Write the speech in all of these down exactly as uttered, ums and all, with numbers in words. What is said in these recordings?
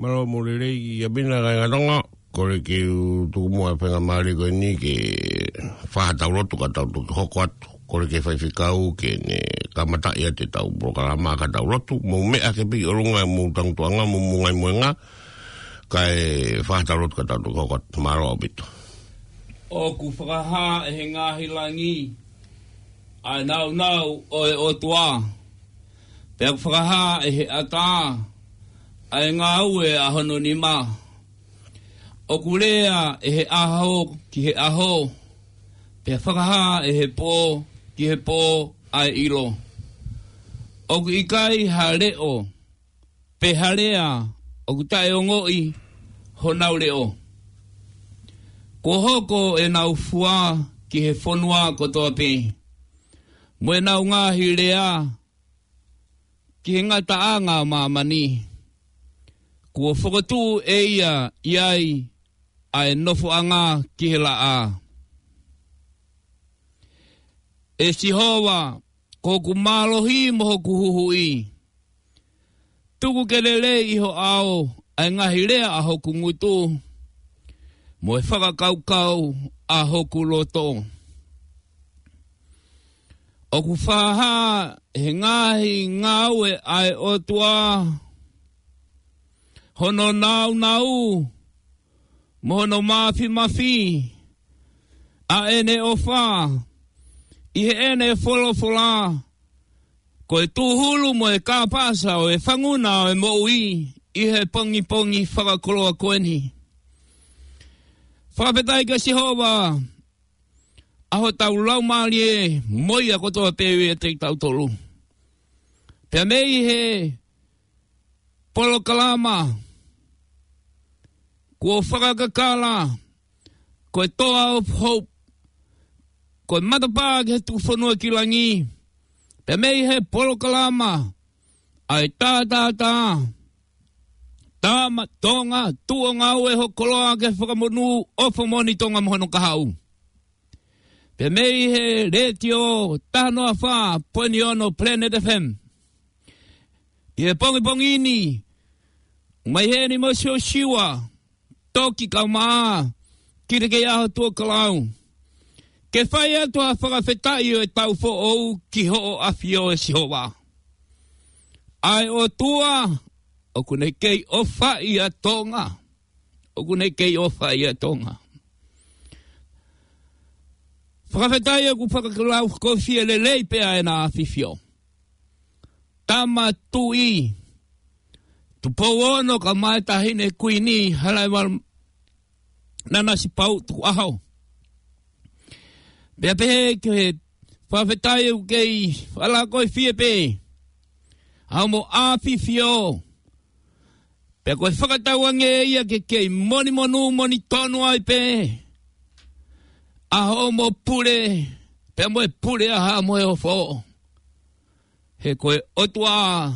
Mālō mo e lelei ʻa Pina, kāinga Tonga. Kole ke u tuku muʻa e faingamālie ko eni ke fai ha tau lotu ka tau toki hoko atu. Kole ki he faifekau ke ne kamataʻi atu ʻetau polokalama ka tau lotu. Mou meʻa ke piki ʻolunga mo e tangutuʻanga mo e ngaahi mohenga. Kae fai ha tau lotu ka tau toki hoko atu. Mālō ʻaupito. ʻOku fakahā ʻe he ngaahi langi ʻa e nāunau ʻo e ʻOtua. Pea ʻoku fakahā ʻe he ʻatā ʻa e ngāue ʻa hono nima. ʻOku lea ʻe he ʻaho ki he ʻaho, pea fakahā ʻe he pō ki he pō ʻa e ʻilo. ʻOku ʻikai ha leʻo pe ha lea ʻoku taʻeongoʻi honau leʻo. Kuo hoko ʻenau fua ki he fonua kotoa pē, mo ʻenau ngaahi lea ki he ngataʻanga ʻo māmani. Kuo fokotuʻu ʻe ia ʻi ai ʻa e nofoʻanga ki he laʻā. ʻE Sihova, ko hoku mālohi mo hoku huhuʻi. Tuku ke lelei ʻi ho ʻao ʻa e ngaahi lea ʻa hoku ngutu, mo e fakakaukau ʻa hoku loto. ʻOku fakahā ʻe he ngaahi ngāue ʻa e ʻOtua hono nāunau mo hono māfimafi, ʻa ʻene ʻofa ʻi heʻene folofola, ko e tūhulu mo e kāpasa ʻo e fanguna ʻo e moʻui ʻi he pongipongi fakakoloa ko eni. Fakafetaʻi kia Sihova, ʻa hotau laumālie mo ia kotoa pē ʻiate kitautolu. Pea mei he polokalama kuo fakakakala ko e Toa of Hope, ko e matapā ki he tuku fonua ki langi. Pea mei he polokalama ʻa e tātātā, Tama Tonga, tuʻu ʻo ngāue ho koloa ke fakamonū ʻofa moʻoni Tonga mo hono kahaʻu. Pea mei he letiō taha noa fā poini ono Planet F M. ʻI he pongipongi ni, mai heni mo Siosiua Toki Kaumaʻa, ki te kei ʻaho Tuʻa Kalau. Ke fai atu ʻa e fakafetaʻi ʻo e taʻu foʻou ki hoʻo ʻAfio ʻe Sihova. ʻA e ʻOtua, ʻoku ne kei ʻofaʻi ʻa Tonga. ʻOku ne kei ʻofaʻi ʻa Tonga. Fakafetaʻi ʻoku fakalaukofie lelei pē ʻa ʻEna ʻAfifio. Tama Tuʻi, Tupou Ono kae ʻumaʻā e Taʻahine Kuini, Halaevalu Nanasipauʻu Tukuʻaho. Pea pehē ki he fakafetaʻi ʻoku kei fakalaukofie pē ʻa hoʻomo ʻAfifio. Pea ko e fakatauange ia ke kei monimonū monitonu ai pē ʻa hoʻomo pule, pea mo e pule ʻa Haʻa Moheofo. He ko e ʻOtua,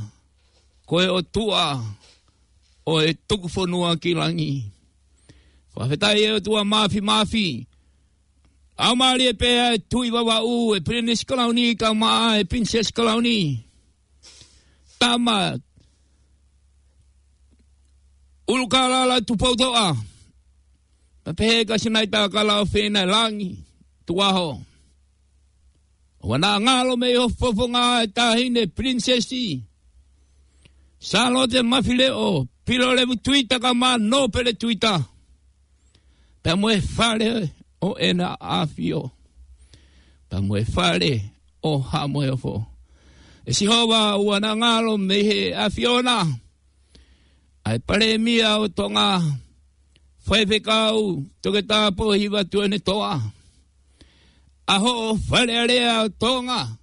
ko e ʻOtua ʻo e tuku fonua ki langi. Fakafetaʻi ʻe ʻOtua Māfimafi. ʻOku mālie pē ʻa e Tuʻi Vavaʻu, ʻe Pilinisi Kalauni, kae ʻumaʻā e Pilinisesi Kalauni. Tama ʻUlukalala Tupoutoʻa. Pea pehē kia Sinaita Kalaofeina Langi Tukuʻaho. ʻOua naʻa ngalo mei ho fofonga e Taʻahine Pilinisesi Sālote Mafileʻo Pilolevu Tuita kae ʻumaʻā Nōpele Tuita. Pea mo e fale ʻo ʻEna ʻAfio. Pea mo e fale ʻo Haʻa Moheofo. ʻE Sihova, ʻoua naʻa ngalo mei he ʻAfiona ʻa e Palēmia ʻo Tonga, Faifekau Toketā Pōhiva Tuʻiʻonetoa. ʻA hoʻo Fale Alea ʻo Tonga.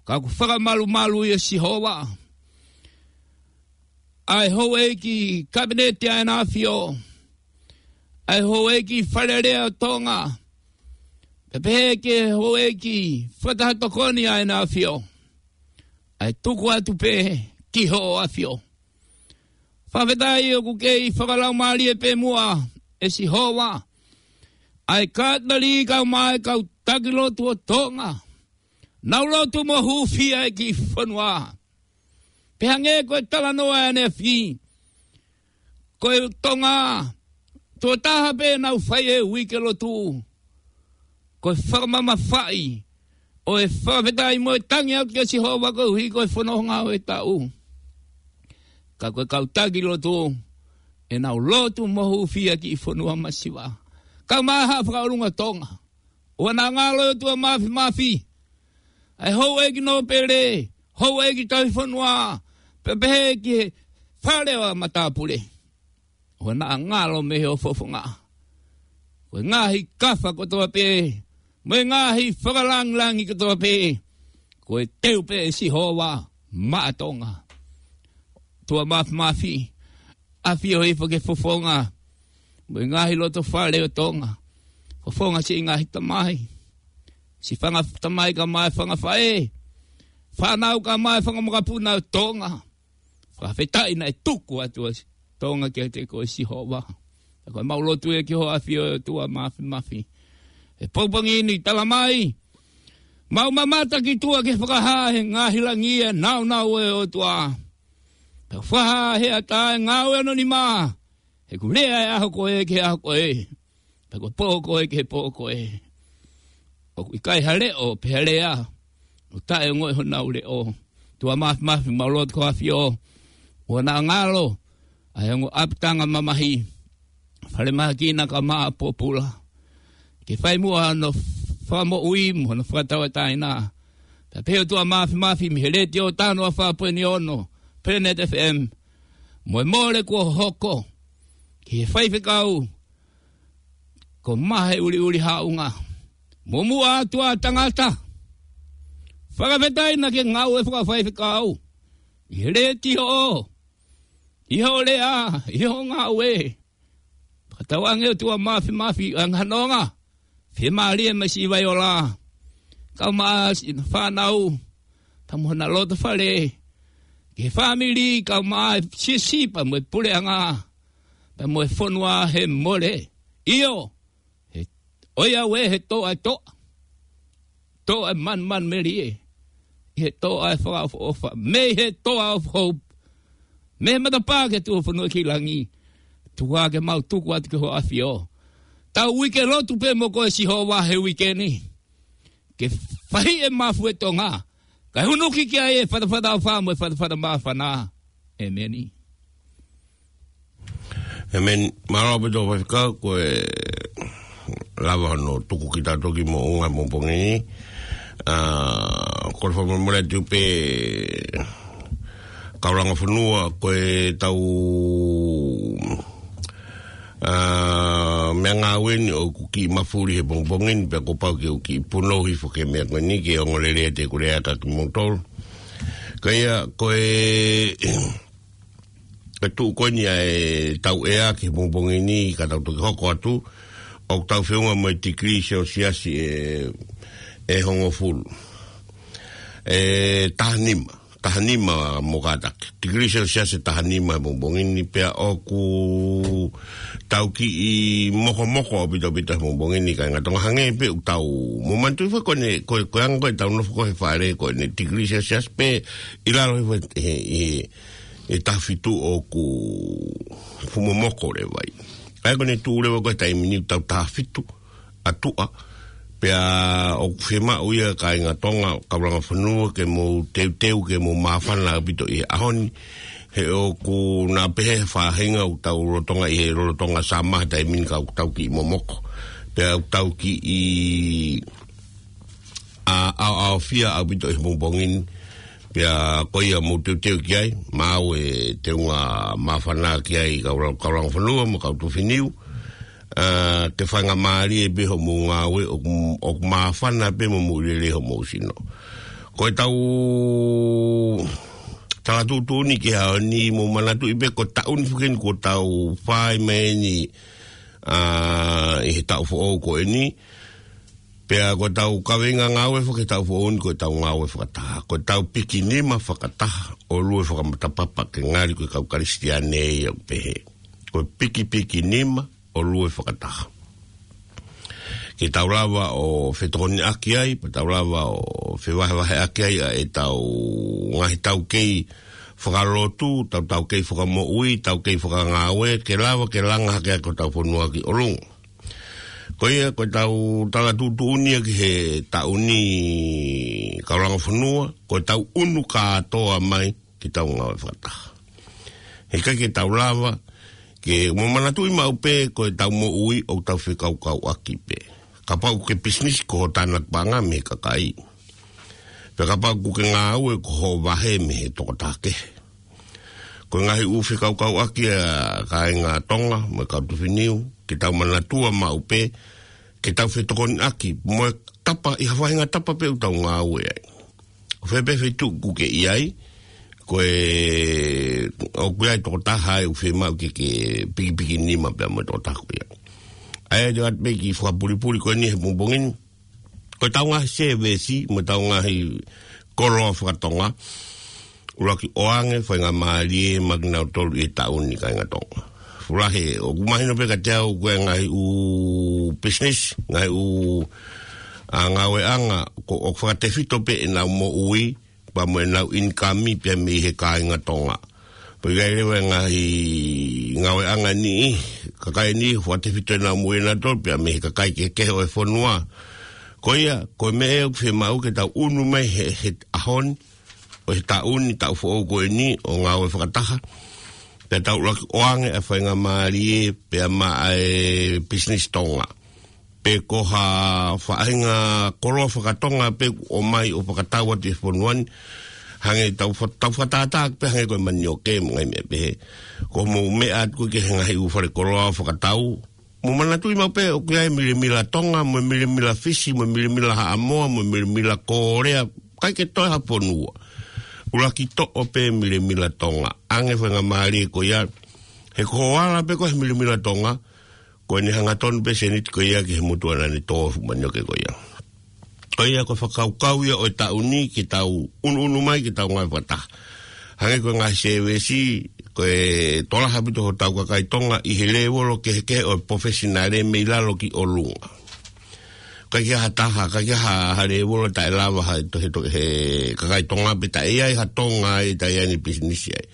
Ka ʻoku fakamalumalu ia Sihova. ʻA e houʻeiki Kapineti ʻa ʻEna ʻAfio. ʻA e houʻeiki Fale Alea ʻo Tonga. Pea pehē ki he houʻeiki fakataha tokoni ʻa ʻEna ʻAfio. ʻA e tuku atu pē ki hoʻo ʻAfio. Fakafetaʻi ʻoku kei fakalaumālie pē muʻa ʻe Sihova ʻa e Katalika mo e kau taki lotu ʻo Tonga. Nau lotu mo hūfia e kiʻi fonua. Pea hangē ko e talanoa ʻaneafi, ko e Tonga, tuʻo taha pē ʻenau fai e uike lotu, ko e fakamamafaʻi ʻo e fakafetaʻi mo e tangi atu kia Sihova koeʻuhi ko e fononga ʻo e taʻu. Ka ko e kau taki lotu, ʻenau lotu mo hūfia ki he fonua masiva. Kau mai ha fakaʻolunga Tonga. ʻOua naʻa ngalo ʻOtua Māfimafi. ʻA e houʻeiki nōpele, houʻeiki tauhi fonua, pea pehē ki he fale ʻo e matāpule. ʻOua naʻa ngalo mei hoʻo fofonga. Ko e ngaahi kafa kotoa pē, mo e ngaahi fakalāngilangi kotoa pē, ko e teu pē ʻe Sihova maʻa Tonga. ʻOtua Māfimafi, ʻafio hifo ki he fofonga, mo e ngaahi loto fale ʻo Tonga. Fofonga siʻi ngaahi tamai. Siʻi fanga tamai kae ʻumaʻā e fanga faʻē. Fānau kae ʻumaʻā e fanga makapuna ʻo Tonga. Fakafetaʻi naʻe tuku atu ʻa Tonga kiate koe Sihova. Ka ko ʻemau lotu ia ki hoʻo ʻafio ʻOtua Māfimafi. He pongipongi ni tala mai, mau mamata ki tuʻa ke fakahā he ngaahi langi e nāunau ʻo e ʻOtua. Pea fakahā he ʻatā e ngāue ʻo hono nima. He ʻoku lea e ʻaho ko ē ki he ʻaho ko ē. Pea ko e pō ko ē ki he pō ko ē. ʻOku ʻikai ha leʻo pe ha lea ʻoku taʻeongoʻi honau leʻo. ʻOtua Māfimafi, mau lotu ki hoʻo ʻafio. ʻOua naʻa ngalo ʻa e ongo ʻapitanga mamahi, falemahaki na kae ʻumaʻā e pōpula, ke fai muʻa hono fakamoʻui mo hono fakatauʻatāina. Pea pehē ʻOtua Māfimafi mei he Letiō Tanoa fā poini ono, Planet F M, mo e mole kuo hoko ki he faifekau ko Mahe ʻUliʻuli Haʻunga, mo muʻa atu ʻa tangata. Fakafetaʻi naʻa ke ngāue fakafaifekau ʻi he Letiō, ʻi hoʻo lea, ʻi hoʻo ngāue. Fakatauange ʻOtua Māfimafi ʻa e ngaahi nonga, fiemālie mai siʻi Vaiola, kau mai siʻi fānau, pea mo hona loto fale, ki he fāmili, kau mai siʻi siʻi pea mo e puleʻanga, pea mo e fonua he mole. ʻIo, he, ʻoiauē, he toʻa e toʻa. Toʻa e manumanumelie. ʻI he toʻa e fakaʻofoʻofa. Mei he toʻa of hope. Mei he matapā ki he tuʻufonua ki langi. Tuku ke mau tuku atu ki hoʻo ʻafio. Tau uike lotu pē mo koe Sihova he uike ni. Ke fahiʻi e mafu e Tonga. Kae hunuki ki ai e fatafata ʻofa mo e fatafata māfana. ʻEmeni. ʻEmeni. Mālō ʻaupito faifekau, ko e lava hono tuku kitautolu ki moʻunga he pongipongi ni. ʻA, ko e fakamolemole atu pē kau langa fonua, ko e tau, ʻa, meʻangāue ni ʻoku kiʻi mafuli he pongipongi ni, pea kuo pau ke u kiʻi punou hifo ki he meʻa ko eni, ke ongoongolelei atu ʻeku lea kia kimoutolu. Ka ia, ko e, ko e tuʻu ko eni ʻa e tau ʻea ki he pongipongi ni ka tau toki hoko atu, ʻoku tau feʻunga mo e tikilī selesiasi ʻe, ʻe hongofulu. ʻE taha nima, taha nima mo kātaki. Tikilī selesiasi ʻe taha nima he pongipongi ni pea ʻoku tau kiʻi mokomoko ʻaupito ʻaupito he pongipongi ni kāinga Tonga hangē pē ʻoku tau, mou manatuʻi foki ko eni, ko, ko e anga ko ē ʻetau nofo ko ē he fale ko eni tikilī selesiasi pē ʻi lalo he, he, he, he taha fitu ʻoku fuʻu momoko leva ia. ʻA ia ko eni tuʻu leva ko ē he taimi ni ʻoku tau taha fitu ʻa tuʻa. Pea ʻoku fiemaʻu ia kāinga Tonga, kau langa fonua, ke mou teuteu, ke mou māfana ʻaupito ʻi he ʻaho ni. He ʻoku na pehē he faʻahinga ʻoku tau lolotonga ʻi he lolotonga summer he taimi ni ka ʻoku tau kiʻi momoko. Pea ʻoku tau kiʻi ʻa, ʻaoʻaofia ʻaupito ʻi he pongipongi ni. Pea ko ia mou teuteu ki ai, maʻu e teunga māfana ki ai kau la-, kau langa fonua mo kau tuʻu finiu. ʻA, ke faingamālie pē hoʻomou ngāue ʻoku, ʻoku māfana pē mo mou lele hoʻomou sino. Ko e tau tala tuʻutuʻuni ki he ʻaho ni mou manatuʻi pē ko e taʻu ni foki eni kuo tau fai mai eni, ʻa, ʻi he taʻu foʻou ko eni. Pea ko e tau kaveinga ngāue foki he taʻu foʻou ni ko e tau ngāue fakataha. Ko e tau piki nima fakataha ʻo lue fakamatapapa ke ngali ko e kau Kalisitiane ia ʻoku pehē. Ko e pikipiki nima ʻo lue fakataha. Ke tau lava ʻo fetokoniʻaki ai, pea tau lava ʻo fevahevaheʻaki ai ʻa e tau ngaahi taukei fakalotu, tau tau kei fakamoʻui, tau kei fakangāue, ke lava ke langa hake ʻaki hotau fonua ki ʻolunga. Ko ia, ko ʻetau tala tuʻutuʻuni ia ki he taʻu ni, kau langa fonua, ko ʻetau ʻunu kātoa mai ke tau ngāue fakataha. He ʻikai ke tau lava, ke mo manatuʻi maʻu pē ko ʻetau moʻui ʻoku tau fekaukauʻaki pē. Kapau ʻoku ke pisinisi ko ho tānaki paʻanga mei he kakai. Pea kapau ʻoku ke ngāue ko ho vahe mei he tokotaha kehe. Ko e ngaahi ʻū fekaukauʻaki ʻa kāinga Tonga, mo e kau Tufiniu, ke tau manatua maʻu pē, ke tau fetokoniʻaki, mo e tapa, ʻi ha faʻahinga tapa pē ʻoku tau ngāue ai. Ko fē pē feituʻu ʻoku ke ʻi ai, ko e, ʻoku ʻi ai tokotaha ʻoku fiemaʻu ke ke pikipiki nima pea mo e tokotaha ko ia. ʻA ia te u ʻoatu pē kiʻi fakapulipuli ko eni he pongipongi ni. Ko ʻetau ngaahi sēvesi, mo ʻetau ngaahi koloa fakatonga, ʻuluaki ʻoange faingamālie maʻa kinautolu ʻi he taʻu ni kāinga Tonga. Fulahe, ʻoku mahino pē kiate au ko e ngaahi ʻū business, ngaahi ʻū, ʻa, ngāueʻanga, ko, ʻoku fakatefito pē ʻenau moʻui, pea mo ʻenau ʻinikami pea mei he kāinga Tonga. Pea ʻi ai leva e ngaahi ngāueʻanga ni, kakai ni, fakatefito ʻenau moʻui ʻanautolu pea mei he kakai kehekehe ʻo e fonua. Ko ia, ko e meʻa ʻoku fiemaʻu ke tau ʻunu mai he, he ʻaho ni, ʻo e taʻu ni, taʻu foʻou ko eni, ʻo ngāue fakataha. Pea tau ʻuluaki ʻoange ʻa e faingamālie, pea maʻa e business Tonga. Pe ko ha faʻahinga koloa fakatonga pē ʻoku ʻomai ʻo fakatau atu ʻi he fonua ni. Hangē tau fa-, tau fakatātā pē hangē ko e manioke mo e ngaahi meʻa pehē. Ko hoʻomou meʻa atu ko ē ki he ngaahi ʻū fale koloa fakatau. Mou manatuʻi maʻu pē ʻoku ʻi ai e milemila Tonga, mo e milemila Fisi, mo e milemila Haʻamoa, mo e milemila Kōlea, ʻikai ke toe ha fonua. ʻUluaki toʻo pē milemila Tonga. ʻAnge faingamālie ko ia, he ko hoʻo ala pē ko ē he milemila Tonga, ko ʻene hangatonu pē sēniti ko ia ki he motuʻa naʻa ne tō e fuʻu manioke ko ia. Ko ia ko e fakakaukau ia ʻo e taʻu ni ke tau ʻunuʻunu mai ke tau ngāue fakataha. Hangē ko e ngaahi sēvesi, ko e tokolahi ʻaupito hotau kakai Tonga ʻi he lēvolo kehekehe ʻo e pofesinale mei lalo ki ʻolunga. ʻIkai ke ʻi ai ha taha, ʻikai ke ʻi ai ha, ha lēvolo taʻe lava ha, to, he, to, he kakai Tonga pe taʻe ʻi ai ha Tonga ʻe taʻe ʻi ai ʻene pisinisi ai.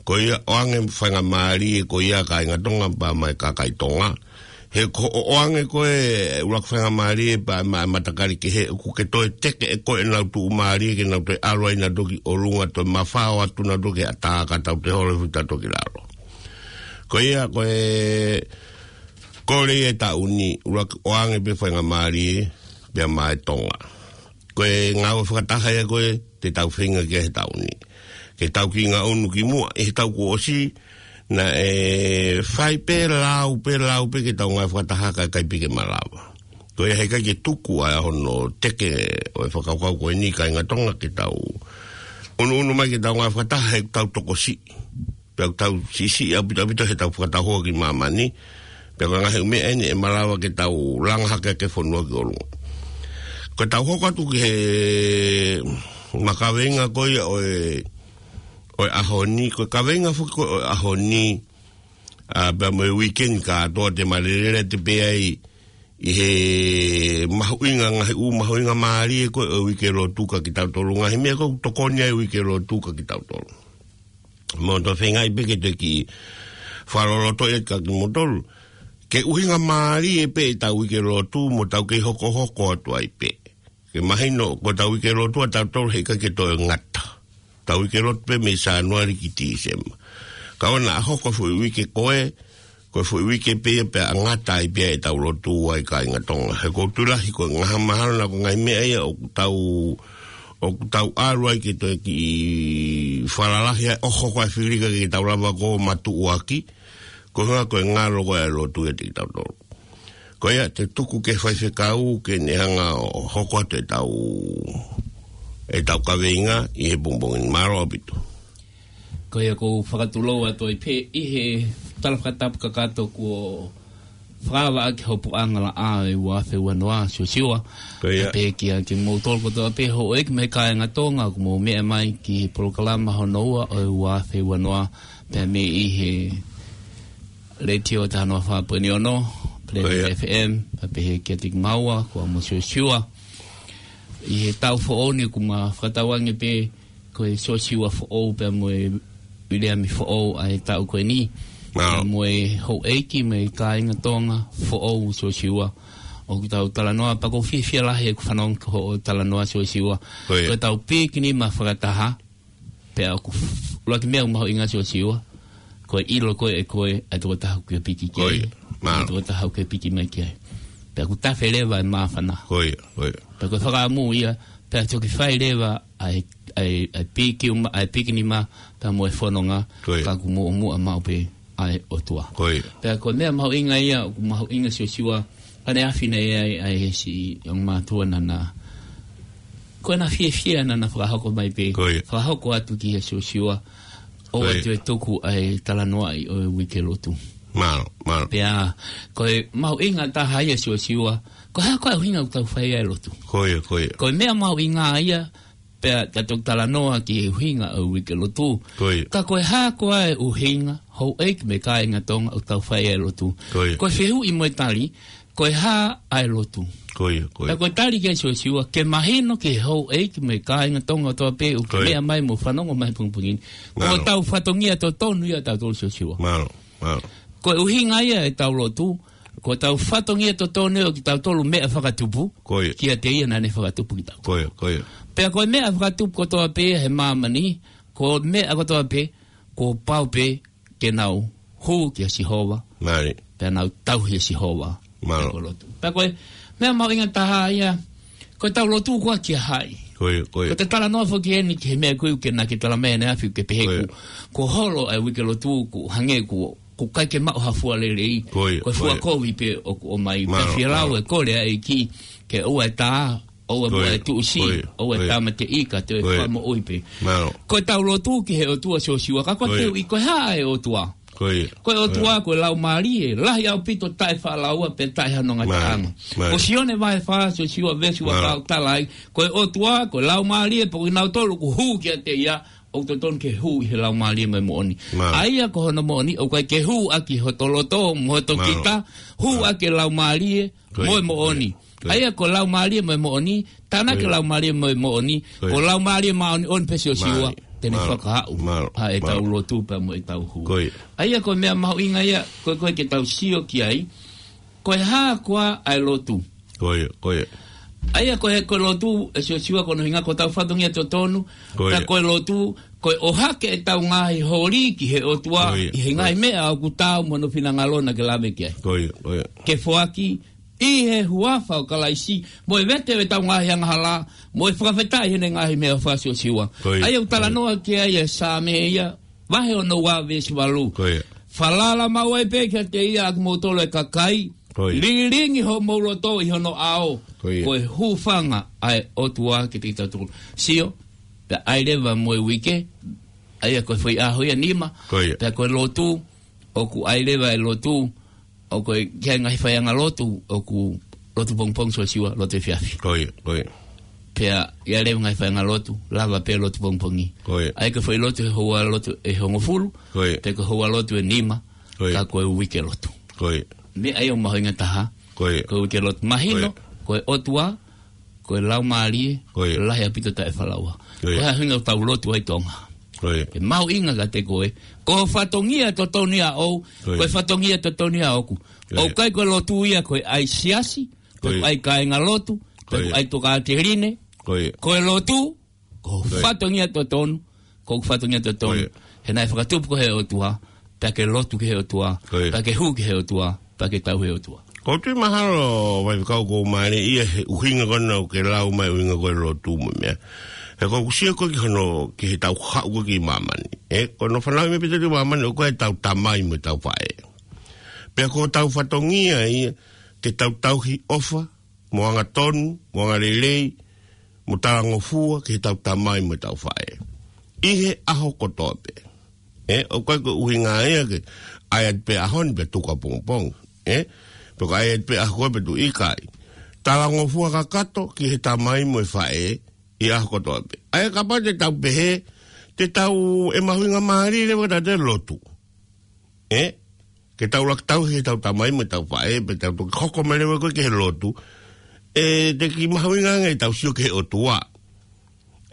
Ko ia ʻoange faingamālie ko ia kāinga Tonga pea maʻa e kakai Tonga. He ko hoʻo ʻoange ko ē ʻuluaki faingamālie pea maʻa e matakali kehe ʻoku ke toe teke ʻe koe ʻenau tuʻumālie ke nau toe ʻalu ai nautolu ki ʻolunga toe mafao atu nautolu ki he ʻatā kae tau toe holo futa toki lalo. Ko ia ko e kole ia e taʻu ni ʻuluaki ʻoange pē faingamālie pea maʻa e Tonga. Ko e ngāue fakataha ia ko ē te tau feinga ki ai he taʻu ni. Ke tau kiʻi ngaʻunu ki muʻa, ʻi he taʻu kuo ʻosi, naʻe fai pē lau, pē lau pē ke tau ngāue fakataha kae ʻikai pē ke malava. Ko ia heʻikai ke tuku ʻa hono teke ʻo e fakakaukau ko eni kāinga Tonga ke tau ʻunuʻunu mai ke tau ngāue fakataha he tau tokosiʻi. Pea ʻoku tau siʻisiʻi ʻaupito ʻaupito he tau fakatau hoa ki māmani. Pea ko e ngaahi ʻū meʻa eni ʻe malava ke tau langa hake ʻaki e fonua ki ʻolunga. Ko e tau hoko atu ki he makaveinga ko ia ʻo e, ʻo e ʻaho ni, ko e kaveinga foki ko ē ʻo e ʻaho ni, ʻa, pea mo e weekend kātoa te malelele te pē ai ʻi he mahuʻinga ngaahi ʻū mahuʻinga mālie ko ē ʻo e uike lotu kia kitautolu ngaahi meʻa ko ē ʻoku tokoni ai e uike lotu kia kitautolu. Mo tau feingaʻi pē ke tau kiʻi fakaloloto ʻe kia kimoutolu. Ke ʻuhinga mālie pē ʻetau uike lotu mo tau kei hokohoko atu ai pē. Ke mahino ko ʻetau uike lotu ʻatautolu heʻikai ke toe ngata. Tau uike lotu pē mei Sānuali ki Tīsema. Ka ʻoua naʻa hoko e foʻi uike ko ē, ko e foʻi uike pē ia pea ngata ai pē ʻetau lotu ai kāinga Tonga. He ʻoku ou tui lahi ko e ngaahi mahalo naʻa ko e ngaahi meʻa ia ʻoku tau, ʻoku tau ʻalu ai ke toe kiʻi falalahi ai ʻo hoko e filika ke tau lava ko ē ʻo matuʻuaki, ko e ʻuhinga ko e ngalo ko ē e lotu ia kiate kitautolu. Ko ia te u tuku ki he faifekau ke ne hanga ʻo hoko atu ʻetau, ʻetau kaveinga ʻi he pongipongi ni. Mālō ʻaupito. Ko ia ʻoku ou fakatulou atu ai pē ʻi he tala fakatapu kakato kuo fakaava ʻaki hopo ʻanga laʻā ʻo e ua afe uanoa, Siosiua. Ko ia. Pea pehē kia kimoutolu kotoa pē houʻeiki mo e kāinga Tonga ʻoku mou meʻa mai ki he polokalama hono ua ʻo e ua afe uanoa, pea mei he Letiō taha noa fā poini ono, Planet Ko ia. F M, pea pehē kiate kimaua, ko au mo Siosiua. ʻI he taʻu foʻou ni ʻoku ma fakatauange pē ko e Siosiua foʻou pea mo e Viliami foʻou ʻa e taʻu ko eni. Pea mo e houʻeiki mo e kāinga Tonga foʻou Siosiua. ʻOku tau talanoa pea ʻoku ou fiefia lahi ʻeku fanongo ki hoʻo talanoa Siosiua. Ko ia. Ko ʻetau pīkinima fakataha. Pea ʻoku f-, ʻuluaki meʻa ʻoku mahuʻinga Siosiua. Ko e ʻilo ko ē ʻe koe ʻa e tokotaha ʻoku ke piki ki ai. Ko ia. Mo e tokotaha ʻoku ke piki mai ki ai. Pea ʻoku tafe leva e māfana. Ko ia, ko ia. Pea ko e fakaʻamu ia, pea toki fai leva ʻa e, ʻa e, ʻa e pīkima, ʻa e pīkinima, pea mo e fononga, ko ia, ka ʻoku muʻomuʻa maʻu pē ʻa e ʻOtua. Ko ia. Pea ko e meʻa mahuʻinga ia, ʻoku mahuʻinga Siosiua, ʻaneafi naʻe ʻi ai ʻa e siʻi ongo mātuʻa naʻa na, ko ʻena fiefia naʻa na fakahoko mai pē, ko ia, fakahoko atu kia Siosiua, ʻoua, ko ia, te ke tuku ʻa e talanoaʻi ʻo e uike lotu. Mālō, mālō. Pea, ko e mahuʻinga taha ia Siosiua, ko e hā ko ā e ʻuhinga ʻoku tau fai ai e lotu. Ko ia, ko ia. Ko e meʻa mahuʻinga ia, pea ta toki talanoa ki he ʻuhinga ʻo e uike lotu. Ko ia. Ka ko e hā ko ā e ʻuhinga, houʻeiki mo e kāinga Tonga ʻoku tau fai ai e lotu. Ko ia. Ko e fehuʻi mo e tali, ko e hā ʻa e lotu. Ko ia, ko ia. Pea ko e tali kia Siosiua, ke mahino ki he houʻeiki mo e kāinga Tonga kotoa pē ʻoku, ko ia, meʻa mai mo fanongo mai pongipongi ni. Mālō. Ko hotau fatongia totonu ia ʻa tautolu Siosiua. Mālō, mālō. Ko e ʻuhinga ia ʻetau lotu, ko hotau fatongia totonu ʻo kitautolu meʻa fakatupu, ko ia, kiate ia naʻa ne fakatupu kitautolu. Ko ia, ko ia. Pea ko e meʻa fakatupu kotoa pē he māmani, ko e meʻa kotoa pē, kuo pau pē ke nau hū kia Sihova. Mālie. Pea nau tauhi ʻa Sihova. Mālō. Pea ko e lotu. Pea ko e meʻa mahuʻinga taha ia, ko ʻetau lotu ko ā kia hai. Ko ia, ko ia. Ko ʻeta talanoa foki eni ki he meʻa ko ē ʻoku ke, naʻa ke talamai ʻaneafi ʻoku ke pehē, ko ia, kuo, kuo holo ʻa e uike lotu, kuo hangē kuo, kuo ʻikai ke maʻu ha fua lelei. Ko ia, ko ia. Ko e fua kovi pē ʻoku ʻomai. Mālō, mālō. Pea fie lau e kole ʻa e ʻEiki ke ʻoua ʻe tā, ʻoua, ko ia, ʻoua ʻe tuʻusi, ko ia, ō e, ko ia, tāmateʻi ka toe, ko ia, fakamoʻui pē. Mālō. Ko ʻetau lotu ki he ʻOtua Siosiua, ka ko e, ko ia, fehuʻi ko e hā e ʻOtua. Ko ia. Ko e ʻOtua, ko ia, ko e Laumālie, lahi ʻaupito taʻefaʻalaua pea taʻe hano ngataʻanga. Mālie. Mālie. Ko Sione vahe fā, Siosiua veesi, mālie, ua fā ʻoku tala ai, ko e ʻOtua, ko e Laumālie, pea ko kinautolu ʻoku hū kiate ia, ʻoku totonu ke hū ʻi he Laumālie mo e moʻoni. Mālie. ʻA ia ko hono moʻoni, ʻoku ʻikai ke hū ʻaki hoto loto mo hoto, mālie, kita, hū, mālie, ʻaki e Laumālie, ko ia, mo e moʻoni. Ko ia. ʻA ia ko e Laumālie mo e moʻoni, tānaki, ko ia, Laumālie mo e moʻoni, ko ia, ko e Laumālie Māʻoniʻoni pē Siosiua, mālie, te ne, mālie, fakahaʻu, mālie, ʻa ʻetau, mālie, lotu pea mo ʻetau hū. Ko ia. ʻA ia ko e meʻa mahuʻinga ia, ko e, ko e ke tau sio ki ai, ko e hā ko ā ʻa e lotu. Ko ia, ko ia. ʻA ia ko e, ko e lotu, ʻe Siosiua, ko hono ʻuhinga ko hotau fatongia totonu, ko ia, ka ko e lotu, ko e ʻohake ʻetau ngaahi holi ki he ʻOtua, ko ia, ʻi he, ko ia, ngaahi meʻa ʻoku taau mo hono finangalo naʻa ke lave ki ai. Ko ia, ko ia. Ke foaki ʻi he huafa ʻo Kalaisi, mo e vete ʻo ʻetau ngaahi angahala, mo e fakafetaʻi heʻene ngaahi meʻaʻofa Siosiua. Ko ia, ʻa ia ʻoku, ko ia, talanoa ki ai e Saame ia, vahe ono ua veesi valu. Ko ia. Falala maʻu ai pē kiate ia ʻa kimoutolu ʻa e kakai, ko ia, lilingi homou loto ʻi hono ʻao, ko ia, ko e hūfanga ʻa e ʻOtua kiate kitautolu. Sio, pea ʻai leva mo e uike, ʻa ia ko e foʻi ʻaho ia nima, ko ia, pea ko e lotu, ʻoku ʻai leva e lotu, ʻoku ʻi ai e ngaahi faiʻanga lotu, ʻoku lotu pongipongi Siosiua, lotu efiafi. Ko ia, ko ia. Pea ʻi ai leva e ngaahi faiʻanga lotu, lava pē lotu pongipongi. Ko ia. ʻA ia ko e foʻi lotu he houa lotu ʻe hongofulu, ko ia, pe ko e houa lotu ʻe nima, ko ia, ka ko e uike lotu. Ko ia. Meʻa ia ʻoku mahuʻinga taha, ko ia, ko e uike lotu. Mahino, ko ia, ko e ʻOtua, ko e Laumālie, ko ia, lahi ʻaupito taʻefaʻalaua. Ko ia. Ko e ʻuhinga ʻoku tau lotu ai Tonga. Ko ia. Ke mahuʻinga kiate koe. Ko ho fatongia totonu ia ʻoʻou, ko ia, ko e fatongia totonu ia ʻoʻoku. Ko ia. ʻOku ʻikai ko e lotu ia ko e ʻai siasi, ko ia, ko e ʻai kāingalotu, ko ia, ko e ʻai tokāteline. Ko ia. Ko e lotu, ko, ko ia, fatongia totonu, ko hoku fatongia totonu. Ko ia. He naʻe fakatupu koe ʻe he ʻOtua, pea ke lotu ki he ʻOtua, ko ia, pea ke hū ki he ʻOtua, pea ke tauhi e ʻOtua. ʻOku ou tui mahalo, Faifekau, ʻoku mālie ia he ʻuhinga ko ena ʻoku ke lau mai, ʻuhinga ko e lotu mo e meʻa. He ʻoku ou sio ko ē ki hono, ki heʻetau haʻu ko ē ki māmani. ʻE, ko hono fanauʻi mai ʻe Pita ki māmani, ʻoku ʻikai ko ʻetau tamai mo ʻetau faʻē. Pea ko hotau fatongia ia, ke tau tauhi ʻofa, mo angatonu, mo angalelei, mo talangofua ki heʻetau tamai mo ʻetau faʻē ʻi he ʻaho kotoa pē. ʻE, ʻoku ʻikai ko e ʻuhinga ia ke ʻai atu pē ʻaho ni pea tuku ʻapongipongi. ʻE, pe ko e ʻai atu pē ʻaho ko ē pea tuku, ʻikai. Talangofua kakato ki he tamai mo e faʻē ʻi he ʻaho kotoa pē. ʻA ia kapau te tau pehē, te tau, ʻe mahuʻinga mālie leva kiate kitautolu e lotu. ʻE, ke tau laka tauhi ʻetau tamai mo ʻetau faʻē, pea tau toki hoko mai leva ko ē ki he lotu. ʻE, teʻeki mahuʻinga ange ʻetau sio ki he ʻOtua.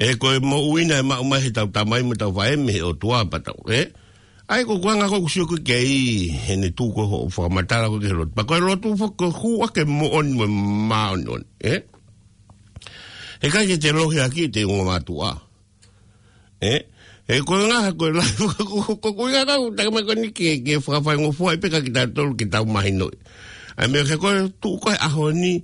ʻE ko e moʻui naʻe maʻu mai he tau tamai mo tau faʻē mei he ʻOtua pea tau, ē? ʻA ia ko e anga ko ē ʻoku sio ko ē ki ai, heʻene tuʻu ko ē hoʻo fakamatala ko ē ki he lotu. Pea ko e lotu foki ko e hū ʻaki e moʻoni mo e māʻoniʻoni, ē? Heʻikai ke te lohiakiʻi ʻete ongo mātuʻa. Ē? Ē, ko e ngaahi, ko e lahi, ko, ko, ko, ko e ngaahi, ʻoku tau mai ko eni ke, ke fakafaingofua ai pē kia kitautolu ke tau mahinoʻi. ʻA ia meʻa ke ko e tuʻu ko ē he ʻaho ni,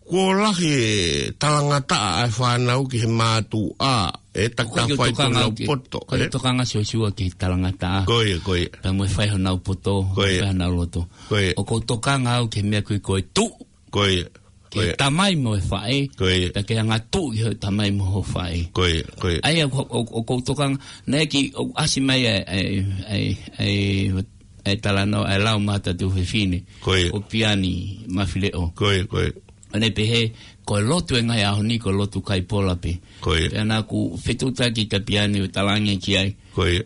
kuo lahi e talangataʻa ʻa e fānau ki he mātuʻa, ē, takitaha fai honau poto, ko e ē? Tokanga Siosiua ki he talangataʻa. Ko ia, ko ia. Pea mo e fai honau poto, Ko ia. fai honau loto. Ko ia. ʻOku ou tokanga au ki he meʻa ko ē ko e tuʻu. Ko ia. Ki he Ko ia. tamai mo e faʻē. Ko ia. Pea ke angatuʻu ki he tamai mo e faʻē. Ko ia, ko ia. ʻA ia, ʻoku, ʻoku, ʻoku ou tokanga, naʻe ki, ʻoku ʻasi mai ʻa e, ʻa e, ʻa e, ʻa e, ʻa e talanoa, ʻa e lau mata tu fefine. Ko ia. ʻO Piani Mafileʻo. Ko ia, ko ia. ʻO ne pehē, ko e lotu e ngaahi ʻaho ni, ko e lotu kai pola pē. Ko ia. Pea naʻa ku fetuʻutaki kia Piani ʻo talaange ki ai. Ko ia.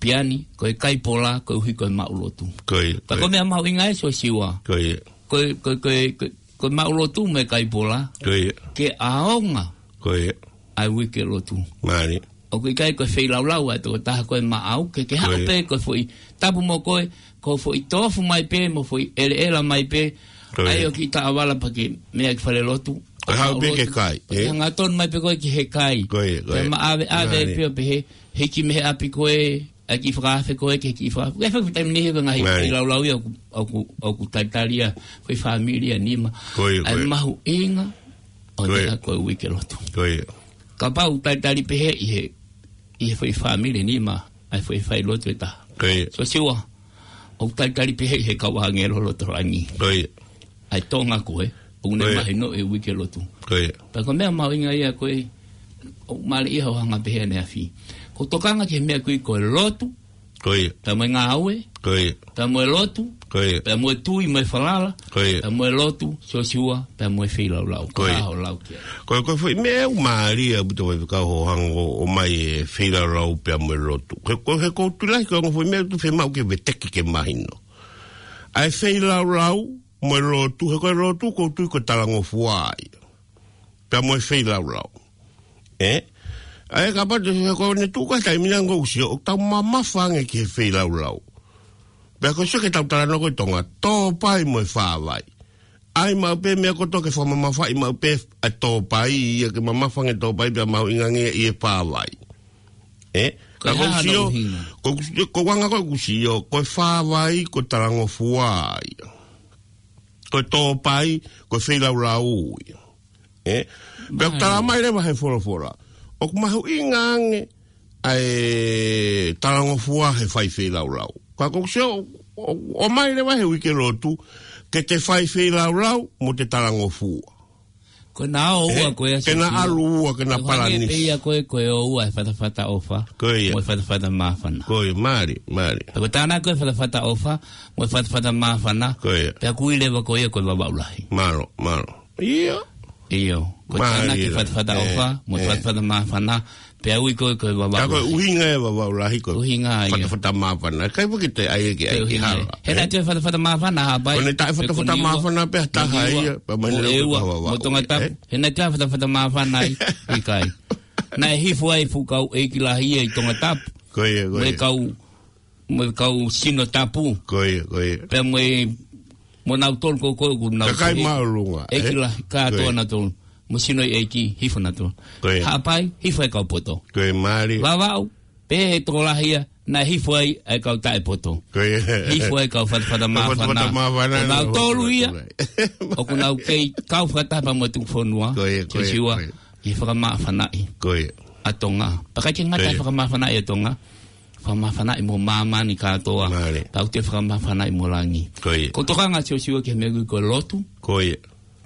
Piani, ko e kai pola, koeʻuhi ko e maʻu lotu. Ko ia, Pea ko ko e ia. meʻa mahuʻinga ē Siosiua. Ko ia. Ko e, ko e, ko e, ko e, ko e maʻu lotu mo e kai pola. Ko ia. Ke ʻaonga Ko ia. ʻa e uike lotu. Mālie. ʻOku ʻikai ko e feilaulau ʻa e tokotaha ko ē maʻau, ke, ke haʻu Ko ia. pē ko e foʻi tapu mo koe, ko e foʻi tofu mai pē, mo e foʻi ʻeleʻela mai pē. Ko ia. ʻA ia ʻoku ʻi taʻavala pea ke meʻa ki fale lotu. Ko e haʻu pē ke kai, Ko e ē? hangatonu mai pē koe ki he kai. Ko ia, ko Pea ia. ma ʻave, ʻave Mālie. pē ʻo pehē, hiki mei he ʻapi ko ē, ʻa e kiʻi fakaafe ko ē, ke kiʻi fakaafe. Ko e fai taimi ni he ko e ngaahi Mālie. feilaulau ia ʻoku, ʻoku, ʻoku talitali ʻa e foʻi fāmili ʻe nima. Ko ia, ʻA e ko ia. mahuʻinga ʻo Ko ia. meʻa ko e uike lotu. Ko ia. Kapau ʻoku talitali pehē ʻi he, ʻi he foʻi fāmili ʻe nima, ʻa e foʻi fai lotu ʻe taha. Ko ia. Siosiua, ʻoku talitali pehē ʻi he kau ʻāngelo loto langi. Ko ia. ʻA e Tonga ko ē, ʻoku ne Ko ia. mahinoʻi e uike lotu. Ko ia. Pea ko e meʻa mahuʻinga ia ko ē, ʻoku mālie ia hoʻo hanga pehē ʻaneafi. ʻOku ou tokanga ki he meʻa ko ē ko e lotu, Ko ia. pea mo e ngāue, Ko ia. pea mo e lotu, Ko ia. pea mo e tui mo e falala, Ko ia. pea mo e lotu, Siosiua, pea mo e feilaulau. Ko ia. Ko e hā hoʻo lau ki ai? Ko e, ko e foʻi meʻa ʻoku mālie ʻaupito ʻa e faifekau hoʻo hanga ʻo, ʻomai e feilaulau pea mo e lotu. Ko e, ko e, he ʻoku ou tui lahi ko e ongo foʻi meʻa ʻoku fiemaʻu ke veteki ke mahino. ʻA e feilaulau, mo e lotu, he ko e lotu, ʻoku ou tui ko e talangofua ia. Pea mo e feilaulau. Ē? ʻA ia kapau te he ko ʻene tuʻu ko ē he taimi ni ʻoku ou sio, ʻoku tau mamafa ange ki he feilaulau. Pea ko e sio ki heʻetau talanoa ko ē ʻi Tonga, tōpai mo e fāvai. ʻAi maʻu pē meʻa kotoa ke fakamamafaʻi maʻu pē ʻa e tōpai, ia ke mamafa ange tōpai, pea mahuʻinga ange ʻi he fāvai. Ē? Ko e Ka ʻoku ou hā hano sio, ʻuhinga? ʻoku ou sio, ko e anga ko ē ʻoku ou sio, ko e fāvai, ko e talangofua ia. Ko e tōpai, ko e feilaulau ia. Ē? Pea ʻoku Mālie. tala mai leva he folofola. ʻOku mahuʻinga ange ʻa e talangofua he fai feilaulau. Ka ʻoku ou sio, ʻo, ʻomai leva he uike lotu, ke te fai feilaulau, mo te talangofua. Ko e nā ʻō ua Ē? ko ē Ke na Siosiua. ʻalu ua, ke na Ko e hangē pē palanisi. ia ko ē, ko e ʻō ua he fatafata ʻofa. Ko ia. Mo e fatafata māfana. Ko ia, mālie, mālie. Pea ko e tānaki ko ē fatafata ʻofa, mo e fatafata māfana. Ko ia. Pea ʻoku ui leva ko ia ko e Vavaʻu Lahi. Mālō, mālō. ʻIo. ʻIo. Ko e Mālie tānaki la. fatafata ʻofa, mo e fatafata māfana. Pea ui ko ē ko e Vavaʻu Lahi. Ka ko e ʻuhinga e Vavaʻu Lahi ko e ʻUhinga ia. fatafata māfana. ʻIkai foki te ʻai ke ʻai ke hala. He naʻe toe fatafata māfana, Haʻapai. Ko ʻene taʻe fatafata māfana pē ha taha ia, pea mai mo e ua, mo Tongatapu. He naʻe toe fatafata māfana ai, ʻikai. Naʻe hifo ai e fuʻu kau ʻeiki lahi ia ʻi Tongatapu. Ko ia, ko ia. Mo e kau, mo e kau sino tapu. Ko ia, ko ia. Pea mo e, mo nautolu ko ē ʻoku nau Kakai māʻolunga, ʻeiki lahi, kātoa nautolu. Mo e sino ʻeiki, hifo nautolu. Ko ia. Haʻapai, hifo e kau poto. Ko ia, mālie. Vavaʻu, pehē ʻe he tokolahi ia, naʻe hifo ai ʻa e kau taʻepoto. Ko ia. Hifo ai e kau fatafata māfana. Fatafata māfana, Ko nautolu ia, ʻoku nau kei kau fakataha pea mo e tuku fonua. Ko ia, ko ia, Siosiua, ko ia. ʻI he fakamāfanaʻi Ko ia. ʻa Tonga. Pea ʻikai ke ngata Ko ia. fakamāfanaʻi ʻa Tonga. Fakamāfanaʻi mo māmani kātoa. Mālie. Pea ʻoku toe fakamāfanaʻi mo langi. Ko ia. ʻOku ou tokanga Siosiua ki he meʻa ko ē ko e lotu. Ko ia.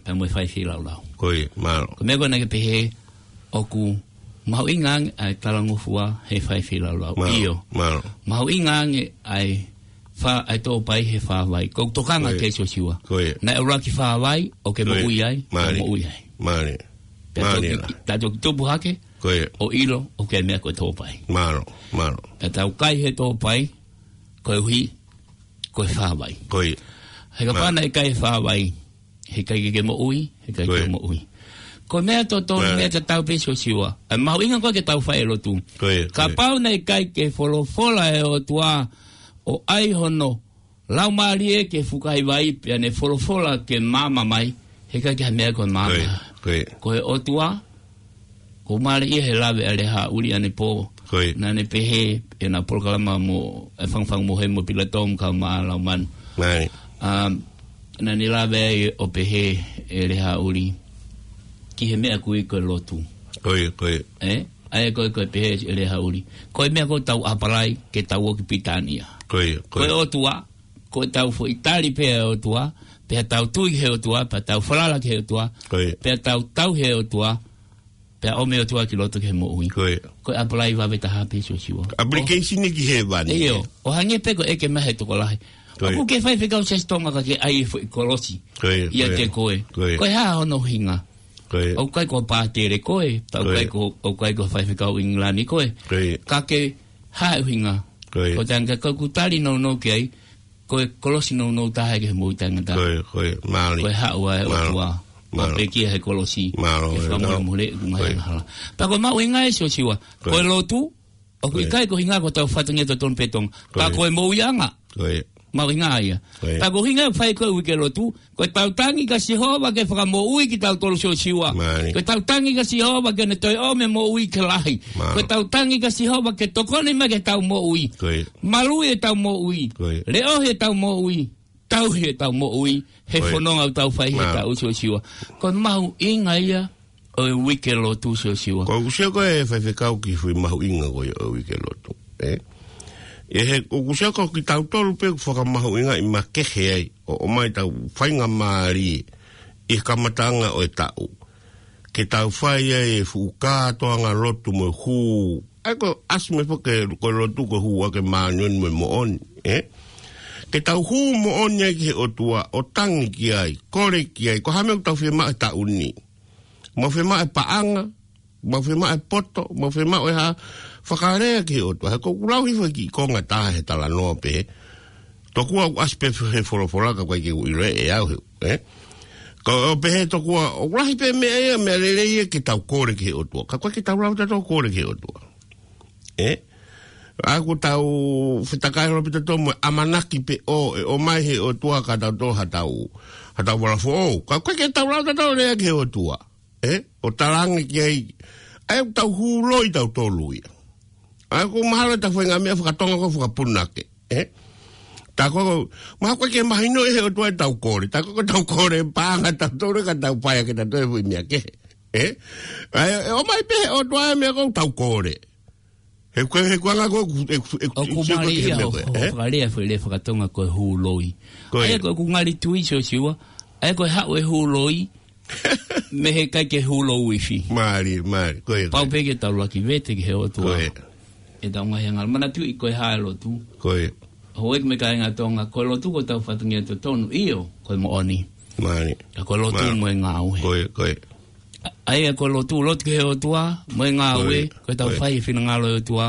Pea mo e fai feilaulau. Ko ia, mālō. Ko e meʻa ko ē naʻa ke pehē ʻoku mahuʻinga ange ʻa e talangofua he fai feilaulau. Mālō, ʻIo. mālō. Mahuʻinga ange ʻa e fā, ʻa e tōpai he fāvai. ʻOku ou tokanga Ko ia. ki ai Siosiua. Ko ia. Naʻe ʻuluaki fāvai, ʻoku ke Ko ia. moʻui ai, ʻoku Mālie. moʻui ai. Mālie. Pea Mālie toki, la. pea toki tupu hake, Ko ia. ʻo ʻilo, ʻoku ʻi ai e meʻa ko e tōpai. Mālō, mālō. Pea tau kai he tōpai, koeʻuhi, ko e fāvai. Ko ia. He kapau Mālie. naʻe ʻikai e fāvai, heʻikai ke ke moʻui, heʻikai Ko ke ia. moʻui. Ko e meʻa totonu, meʻa tatau pē Siosiua. ʻE mahuʻinga ko ē ke tau fai e lotu. Kapau naʻe ʻikai ke folofola e ʻOtua ʻo ʻai hono Laumālie ke fukahi vai pea ne folofola ke maama mai, heʻikai ke ha meʻa ko e maama. Ko e ʻOtua, ko mālie ia he lave ʻa Lehāʻuli ʻanepō. Naʻa ne pehē, ʻena polokalama mo, ʻe Fangafanga mo Hē mo Pilato mo Kaumālaumanu. Um, naʻa ne lave ai ʻo pehē ʻe Lehāʻuli, ki he meʻa ko ē ko e lotu. ʻE? ʻA ia ko e, ko e pehē ʻe Lehāʻuli, ko e meʻa ko ē tau ʻapalai ke tau ō ki Pilitānia. Ko e ʻOtua, ko e tau foʻi tali pē ʻa e ʻOtua, pea tau tui ki he ʻOtua, pea tau falala ki he ʻOtua, pea tau tauhi e ʻOtua, pea ʻomi e ʻOtua ki loto ki he moʻui. Ko e ʻapalai vave taha pē Siosiua. Application ki hēvani. ʻIo, ʻo hangē pē ko e ʻeke mai he tokolahi. ʻOku ke faifekau Siasi Tonga ka ke ʻai e foʻi kolosi ʻiate koe. Ko e hā hono ʻuhinga? ʻOku ʻikai ko pātele koe, pea ʻoku ʻikai ko, ʻoku ʻikai ko faifekau ʻIngilani koe. Ka ke hā e ʻuhinga? Ko e tangata ko ē ʻoku tali nounou ki ai, ko e kolosi nounou taha ki he moʻui taʻengata. Ko e haʻu ʻa e ʻOtua ʻo pekia he kolosi, ʻe fakamolemole ʻeku ngaahi angahala. Pea ko e mahuʻinga ē Siosiua, ko e lotu, ʻoku ʻikai ko e ʻuhinga ko hotau fatongia totonu pē Tonga. Ka ko e moʻuiʻanga. Mahuʻinga ia. Pea ko e ʻuhinga ʻoku fai ko ē e uike lotu, ko e tau tangi kia Sihova ke fakamoʻui kitautolu Siosiua. Ko e tau tangi kia Sihova ke ne toe ʻomi e moʻui ke lahi. Ko e tau tangi kia Sihova ke tokoni mai ki heʻetau moʻui. Maluʻi ʻetau moʻui. Leʻohi ʻetau moʻui. Tauhi ʻetau moʻui he fononga ʻoku tau fai he taʻu Siosiua. Ko e mahuʻinga ia ʻo e uike lotu Siosiua. Ko ʻeku sio ko e faifekau ki he foʻi mahuʻinga ko ia ʻo e uike lotu. ʻE? ʻE he, ʻoku sio ko kitautolu pē ʻoku fakamahuʻingaʻi makehe ai, ʻo, ʻomai ʻetau faingamālie ʻi he kamataʻanga ʻo e taʻu. Ke tau fai ai e fuʻu kātoanga lotu mo e hū. ʻA ia ko e ʻasi mai foki ko e lotu ko e hū ʻa e māʻoniʻoni mo e moʻoni. ʻE? Ke tau hū moʻoni ai ki he ʻOtua, ʻo tangi ki ai, kole ki ai, ko e hā e meʻa ʻoku tau fiemaʻu he taʻu ni. Mau fiemaʻu e paʻanga, mau fiemaʻu e poto, mau fiemaʻu e hā, fakalea ki he ʻOtua. He ko ʻeku lau hifo e kiʻi konga taha he talanoa pē. Tokua ʻoku ʻasi pē he folofola ka ʻoku ʻikai ke u ʻilo ʻe au he, ʻe? Ko e pehē tokua, ʻoku lahi pē meʻa ia, meʻa lelei ia ke tau kole ki he ʻOtua. Ka ʻoku ʻikai ke tau lava tautolu kole ki he ʻOtua. ʻE? ʻA ia ʻoku tau fetakai loloto pē tautolu mo e ʻamanaki pē ʻo, ʻe ʻomai he ʻOtua kia tautolu ha tau, ha tau vala foʻou. Ka ʻoku ʻikai ke tau lava tautolu lea ki he ʻOtua. ʻE? ʻO talaange ki ai. ʻA ia ʻoku tau hū loi tautolu ia. ʻA ia ʻoku mahalo ʻetau faʻahinga meʻa fakatonga ko e fakapunake. ʻE? Tā ko e, mahalo ʻoku ʻikai ke mahinoʻi he ʻOtua ʻetau kole. Tā ko e tau kole paʻanga tautolu ka tau paea ke tau toe fui meʻa kehe. ʻE? ʻA ia, ʻe ʻomai pē he ʻOtua e meʻa ʻoku tau kole. He ko e, he ko e anga ko e, ʻoku, ʻoku, ʻoku mālie ia ʻo, ʻo fakalea foʻi lea fakatonga ko e hū loi. ʻA ia ko ʻeku ngali tui Siosiua, ʻa ia ko e haʻu e hū loi, mei he ʻikai ke hū lou ifi. Mālie, mālie, ko ia. Pau pē ke tau laki vete ki he ʻOtua. ʻEtau ngaahi angahala. Manatuʻi ko e hā e lotu. Houʻeiki mo e kāinga Tonga, ko e lotu ko hotau fatongia totonu, ʻio, ko e moʻoni. Ka ko e lotu mo e ngāue. ʻA ia ko e lotu, lotu ki he ʻOtua, mo e ngāue, ko ʻetau fai e finangalo ʻo e ʻOtua,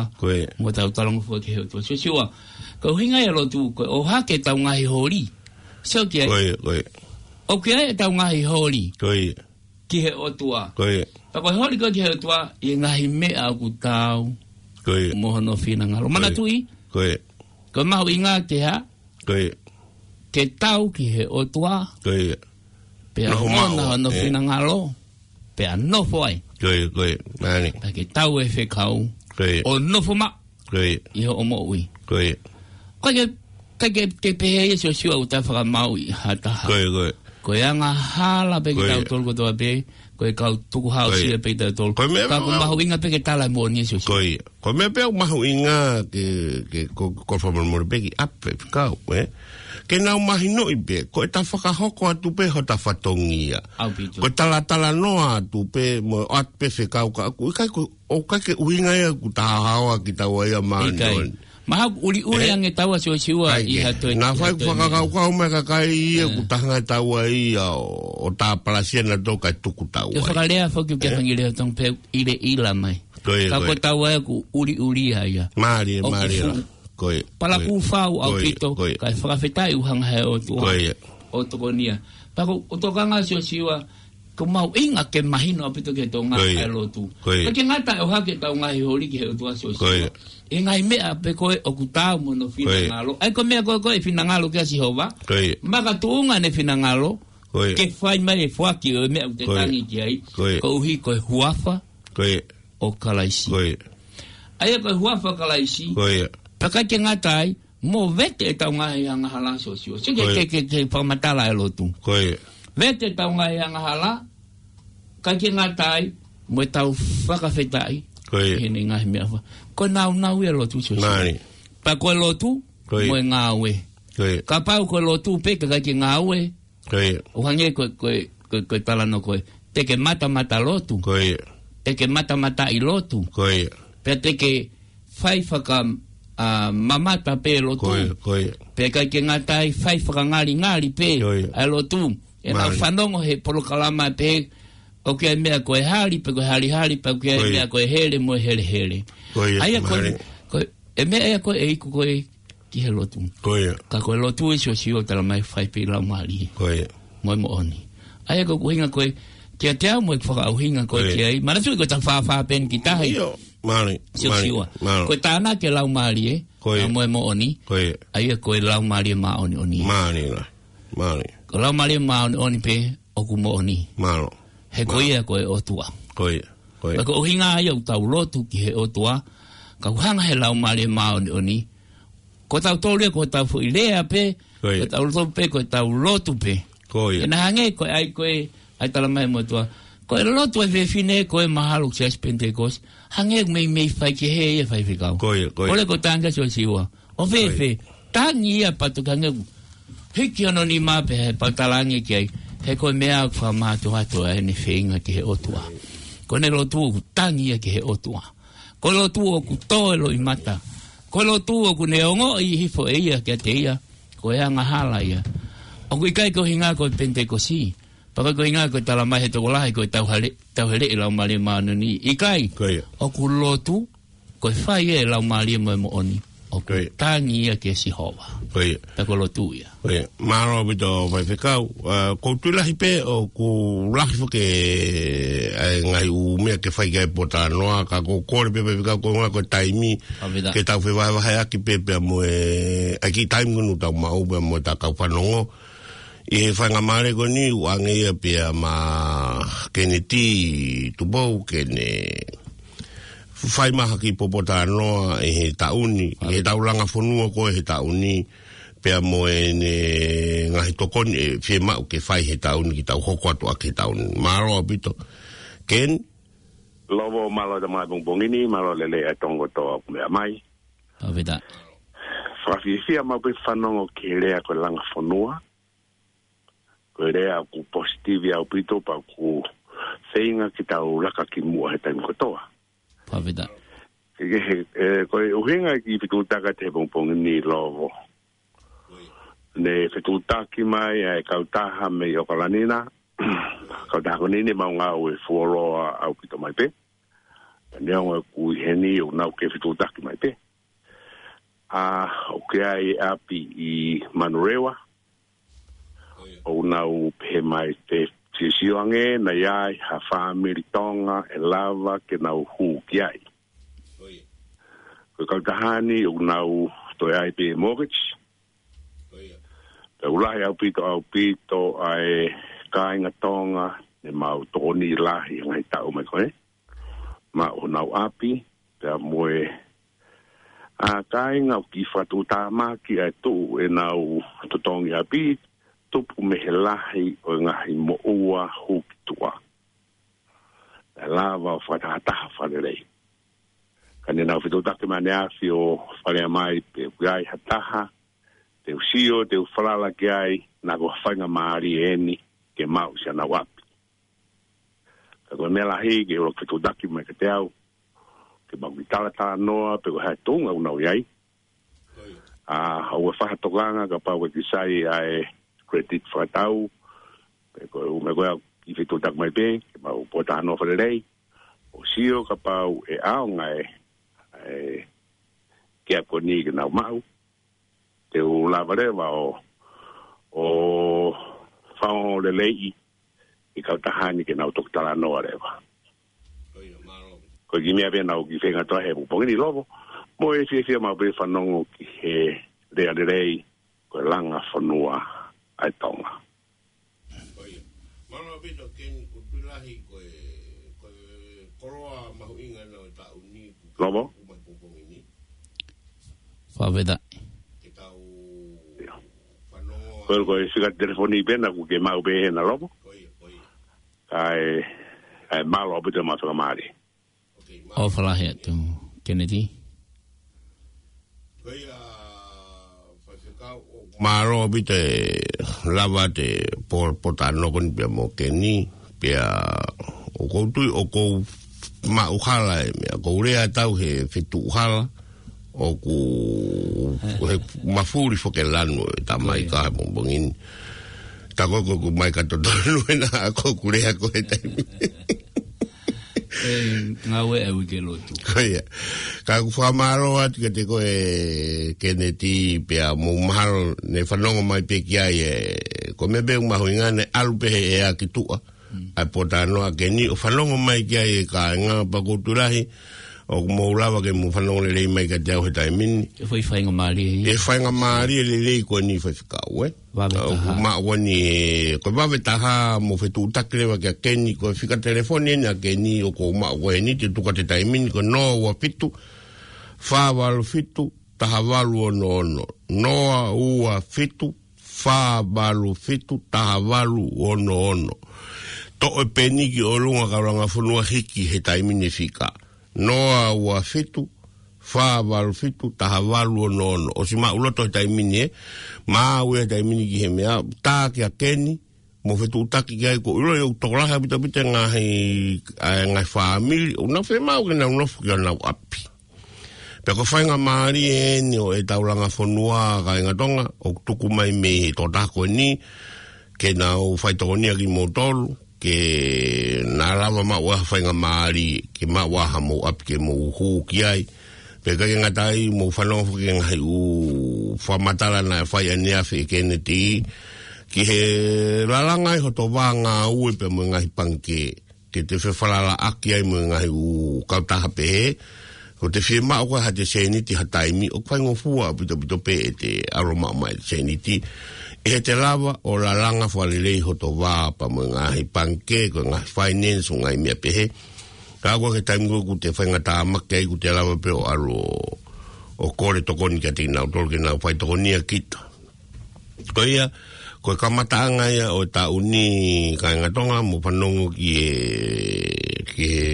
mo ʻetau talangofua ki he ʻOtua. Siosiua, ko e ʻuhinga ia e lotu, ko e ʻohake ʻetau ngaahi holi. Sio ki ai. ʻOku ʻi ai ʻetau ngaahi holi ki he ʻOtua. Pea ko e holi ko ē ki he ʻOtua, ʻi he ngaahi meʻa ʻoku taau mo hono finangalo. Manatuʻi, ko e mahuʻinga ke hā, ke taau ki he ʻOtua. Pea ʻoku ʻi ai hono finangalo. Pea nofo ai. Pea ke taau e fekau ʻo nofo maʻu ʻi hoʻo moʻui. ʻOku ʻikai ke, ʻikai ke, ke pehē ia Siosiua ʻoku tau fakamāuʻi ha taha. Ko e angahala pē kitautolu kotoa pē, ko e kau tukuhāusia pē kitautolu. Ka ʻoku mahuʻinga pē ke tala e moʻoni ia Siosiua. Ko e meʻa pē ʻoku mahuʻinga ke, ke ko, ko e fakamolemole pē ki ʻapi fekau, ʻe? Ke nau mahinoʻi pē, ko ʻeta fakahoko atu pē hota fatongia. Ko e talatalanoa atu pē, mo ʻoatu pē fekau ka ʻoku ʻikai ko, ʻoku ʻikai ke ʻuhinga ia ʻoku ta haohaoa kitaua ia māʻoniʻoni. Mahalo ʻuliʻuli ange taua Siosiua ʻi ha toe. Naʻa fai fakakaukau mai kakai ia ʻoku ta hanga taua ia ʻo, ʻo ta palasia naʻa tau kai tuku taua. Ke fakalea foki ke fangilea tong pe ʻileʻila mai. Ka ko taua ia ʻoku ʻuliʻuli ia. Mālie, mālie. Palakū fau ʻaupito, kae fakafetaʻi ʻoku hanga he ʻOtua ʻo tokonia. Pea ko e tokanga Siosiua, Ko e mahuʻinga ke mahino ʻaupito ki he Tonga ʻa e lotu. Ka ke ngata ʻo hake ʻetau ngaahi holi ki he ʻOtua Siosiua. ʻI he ngaahi meʻa pē ko ē ʻoku taau mo hono finangalo. ʻA ia ko e meʻa ko ē ko ē ʻe finangalo ki ai ʻa Sihova. Makatuʻunga ʻene finangalo. Ke fai mai e foaki ʻo e meʻa ʻoku te tangi ki ai. Koeʻuhi ko e huafa ʻo Kalaisi. ʻA ia ko e huafa ʻo Kalaisi. Pea ʻikai ke ngata ai, mo vete ʻetau ngaahi angahala Siosiua. Sio ki he, ke, ke, ke fakamatala e lotu. Vete ʻetau ngaahi angahala, ʻikai ke ngata ai, mo ʻetau fakafetaʻi. ʻI heʻene ngaahi meʻa fa. Ko e nāunau ia e lotu Siosiua. Pea ko e lotu, mo e ngāue. Kapau ko e lotu pē ka ʻikai ke ngāue. ʻO hangē ko, ko, ko, ko e talanoa ko ē. Te ke matamata lotu. Te ke matamataʻi lotu. Pea te ke fai faka, ʻa, mamata pē lotu. Pea ʻikai ke ngata ai fai fakangalingali pē ʻa e lotu. ʻE nau fanongo he polokalama pē ʻoku ʻi ai e meʻa ko e hali, pe ko e halihali, pe ʻoku ʻi ai e meʻa ko e hele mo e helehele. ʻA ia ko e, ko e, e meʻa ia ko ē ʻe iku ko ē ki he lotu. Ka ko e lotu ʻi Siosiua ʻoku tala mai fai pē ʻi he Laumālie. Mo e moʻoni. ʻA ia ko e ʻuhinga ko ē, kiate au mo e fakaʻuhinga ko ē ki ai. Manatuʻi ko e tau fāfā pē eni ki tahi. Siosiua. Ko e tānaki e Laumālie, mo e moʻoni. ʻA ia ko e Laumālie Māʻoniʻoni. Ko e Laumālie Māʻoniʻoni pē ʻoku moʻoni. He ko ia ko e ʻOtua. Pea ko e ʻuhinga ia ʻoku tau lotu ki he ʻOtua, ka ʻoku hanga he Laumālie Māʻoniʻoni. Ko tautolu ia ko ʻetau foʻi lea pē, ko tautolu pē, ko ʻetau lotu pē. Ke na hangē ko e ʻai ko ē, ʻai tala mai mo tua. Ko e lotu ʻa e fefine ko ē mahalo ki he Siasi Penitekosi. Hangē meimei fai ki he ia faifekau. Kole ko e tangi ʻa Siosiua. ʻO fēfē, tangi ia patu hangē ʻoku hiki hono nima pē he pau tala ange ki ai. He ko e meʻa ʻoku fakamātoato ʻa ʻene feinga ki he ʻOtua. Ko ʻene lotu ʻoku tangi ia ki he ʻOtua. Ko e lotu ʻoku tō e loʻimata. Ko e lotu ʻoku ne ongoʻi hifo ʻe ia kiate ia. Ko e angahala ia. ʻOku ʻikai ko e ʻuhinga ko e Penitekosi. Pea ʻikai ko e ʻuhinga ko e tala mai he tokolahi ko e tauhele, tauhele ʻi he Laumālie Māʻoniʻoni. ʻIkai. ʻOku lotu, ko e fai e Laumālie mo e moʻoni. ʻOku tangi ia ki he Sihova. Pea ko e lotu ia. Mālō ʻaupito faifekau. ʻA, ʻoku ou tui lahi pē ʻoku lahi foki ʻa e ngaahi ʻū meʻa ke fai ki ai e pōtalanoa, ka ʻoku ou kole pē faifekau ko e ʻuhinga ko e taimi. Ke tau fevahevaheʻaki pē pea mo e, ʻa e kiʻi taimi ko eni ʻoku tau maʻu pea mo ʻetau kau fanongo. ʻI he faingamālie ko eni ʻoku ʻoange ia pea mo Keneti Tupou ke ne fai mai ha kiʻi pōtalanoa ʻi he taʻu ni, ʻi heʻetau langa fonua ko ē he taʻu ni, pea mo ʻene ngaahi tokoni ʻe fiemaʻu ke fai he taʻu ni ke tau hoko atu ʻaki he taʻu ni. Mālō ʻaupito. Ken? Lovo, mālō e tama pongipongi ni, mālō e lelei ʻa e Tonga kotoa ʻoku meʻa mai. Fakafiefia maʻu pē fanongo ki he lea ko e langa fonua. Ko e lea ʻoku positive ʻaupito pea ʻoku feinga ke tau laka ki muʻa he taimi kotoa. Ke, ke he, ʻe, ko e ʻuhinga e kiʻi fetuʻutaki atu he pongipongi ni Lovo. Ne fetuʻutaki mai ʻa e kautaha mei ʻOkalani na. Kautaha ko eni ne mau ngāue fuoloa ʻaupito mai pē. Neongo ʻeku ʻi heni ʻoku nau kei fetuʻutaki mai pē. ʻA, ʻoku ʻi ai e ʻapi ʻi Manurewa. ʻOku nau pehē mai te sisio ange, naʻe ʻi ai ha fāmili Tonga ʻe lava ke nau hū ki ai. Ko e kautaha ni ʻoku nau toe ʻai pē mortgage. Pea ʻoku lahi ʻaupito, ʻaupito ʻa e kāinga Tonga ne mau tokoni lahi he ngaahi taʻu mai ko ē. Maʻu honau ʻapi, pea mo e, ʻa, kāinga ʻoku kiʻi fakatuʻutāmaki ʻa e tuʻu ʻenau totongi ʻapi, tupu mei he lahi ʻo e ngaahi moʻua hū ki tuʻa. ʻE lava ʻo fakatahataha fakalelei. Ka ne nau fetuʻutaki mai ʻaneafi ʻo faleʻi mai pe ʻoku ʻi ai ha taha, te u sio, te u falala ki ai, naʻa ko ha faingamālie eni ke maʻu siʻanau ʻapi. Ka ko e meʻa lahi ke ʻuluaki fetuʻutaki mai kiate au, ke mau kiʻi talatalanoa, pe ko e hā e tuʻunga ʻoku nau ʻi ai. ʻA, ʻoua ʻe fai ha tokanga kapau ʻoku ʻikai ke sai ʻa e credit fakatau, pe ko e ʻū meʻa ko ē ʻoku kiʻi fetuʻutaki mai pē, ke mau pōtalanoa fakalelei, ʻo sio kapau ʻe ʻaonga e, e, ke ako ni ke nau maʻu, te u lava leva ʻo, ʻo fakaongo leleiʻi ʻi he kautaha ni ke nau toki talanoa leva. Ko e kiʻi meʻa pē naʻá ku kiʻi feinga atu ai he pongipongi ni, Lovo, mo e fiefia maʻu pē fanongo ki he lea lelei, ko e langa fonua ʻa e Tonga. Mālō ʻaupito Keni, ko Tuʻilahi, ko e, ko e koloa mahuʻinga ʻo e taʻu ni. Lovo? Fakafetaʻi. Ke tau fanongo. Ko e, ko e fika telefoni pē naʻá ku kei maʻu pē hena, Lovo. Ko ia, ko ia. Kae, kae mālō ʻaupito mo e fakamālō. ʻOfa lahi atu, Keneti. Ko ia, Faifekau, ʻoku mālō ʻaupito e lava ʻete po-, pōtalanoa ko eni pea mo Keni, pea ʻoku ou tui ʻoku ou maʻu hala e meʻa, ʻoku ou lea atu he fetuʻu hala, ʻoku, he mafuli foki e lanu e tamai ka he pongipongi ni. Tā ko ē ʻoku mai ka totonu ena ʻoku ou lea ko e taimi. E, ngāue e uike lotu. Ko ia. Ka ʻoku fakamālō atu kiate koe Keneti pea mo mahalo ne fanongo mai pē ki ai e, ko e meʻa pē ʻoku mahuʻinga ne ʻalu pē he ʻea ki tuʻa. ʻA e pōtalanoa Keni ʻo fanongo mai ki ai e kāinga pea ko Tuʻilahi, ʻoku mou lava ke mou fanongo lelei mai kiate au he taimi ni. E fai faingamālie. E faingamālie lelei ko eni Faifekau, ē? Vave taha. ʻOku maʻu ko eni, ko e vave taha mo fetuʻutaki leva kia Keni, ko e fika telefoni eni ʻa Keni ʻoku ou maʻu ko eni, te u tuku atu he taimi ni, ko e noa ua fitu, fā valu fitu, taha valu ono ono. Noa ua fitu, fā valu fitu, taha valu ono ono. Toʻo e peni ki ʻolunga kau langa fonua hiki he taimi ni e fika. Noa ua fitu, fā valu fitu, taha valu ono ono. ʻOsi maʻuloto he taimi ni ē, maʻu e taimi ni ki he meʻa, tā kia Keni, mo fetuʻutaki ki ai ko ʻilo ʻoku tokolahi ʻaupito ʻaupito e ngaahi, ʻa e ngaahi fāmili, ʻoku nau fiemaʻu ke nau nofo ki honau ʻapi. Pea ko e faingamālie eni ʻo ʻetau langa fonua kāinga Tonga, ʻoku tuku mai mei he tokotaha ko eni, ke nau faitokonia kimoutolu, ke na lava maʻu ha faingamālie, ke maʻu ha mou ʻapi ke mou hū ki ai. Pea ʻikai ke ngata ai mou fanongo foki ki he ngaahi ʻū fakamatala naʻe fai ʻaneafi ʻe Keneti, ki he lalanga ʻi hoto vā ngāue pea mo e ngaahi pangikē, ke te fefalalaʻaki ai mo e ngaahi ʻū kautaha pehē, ko ʻete fiemaʻu ko ē haʻate sēniti ha taimi, ʻoku faingofua ʻaupito ʻaupito pē ʻete ʻalu ʻo maʻu mai e sēniti, ʻi heʻete lava ʻo lalanga fakalelei hoto vā pea mo e ngaahi pangikē, ko e ngaahi finance, ʻū ngaahi meʻa pehē. Ka ko e taimi ko ē ʻoku te faingatāmaki ai ʻoku te lava pē ʻo ʻalu ʻo, ʻo kole tokoni kiate kinautolu ke nau faitokonia kita. Ko ia, ko e kamataʻanga ia ʻo e taʻu ni kāinga Tonga, mou fanongo ki he, ki he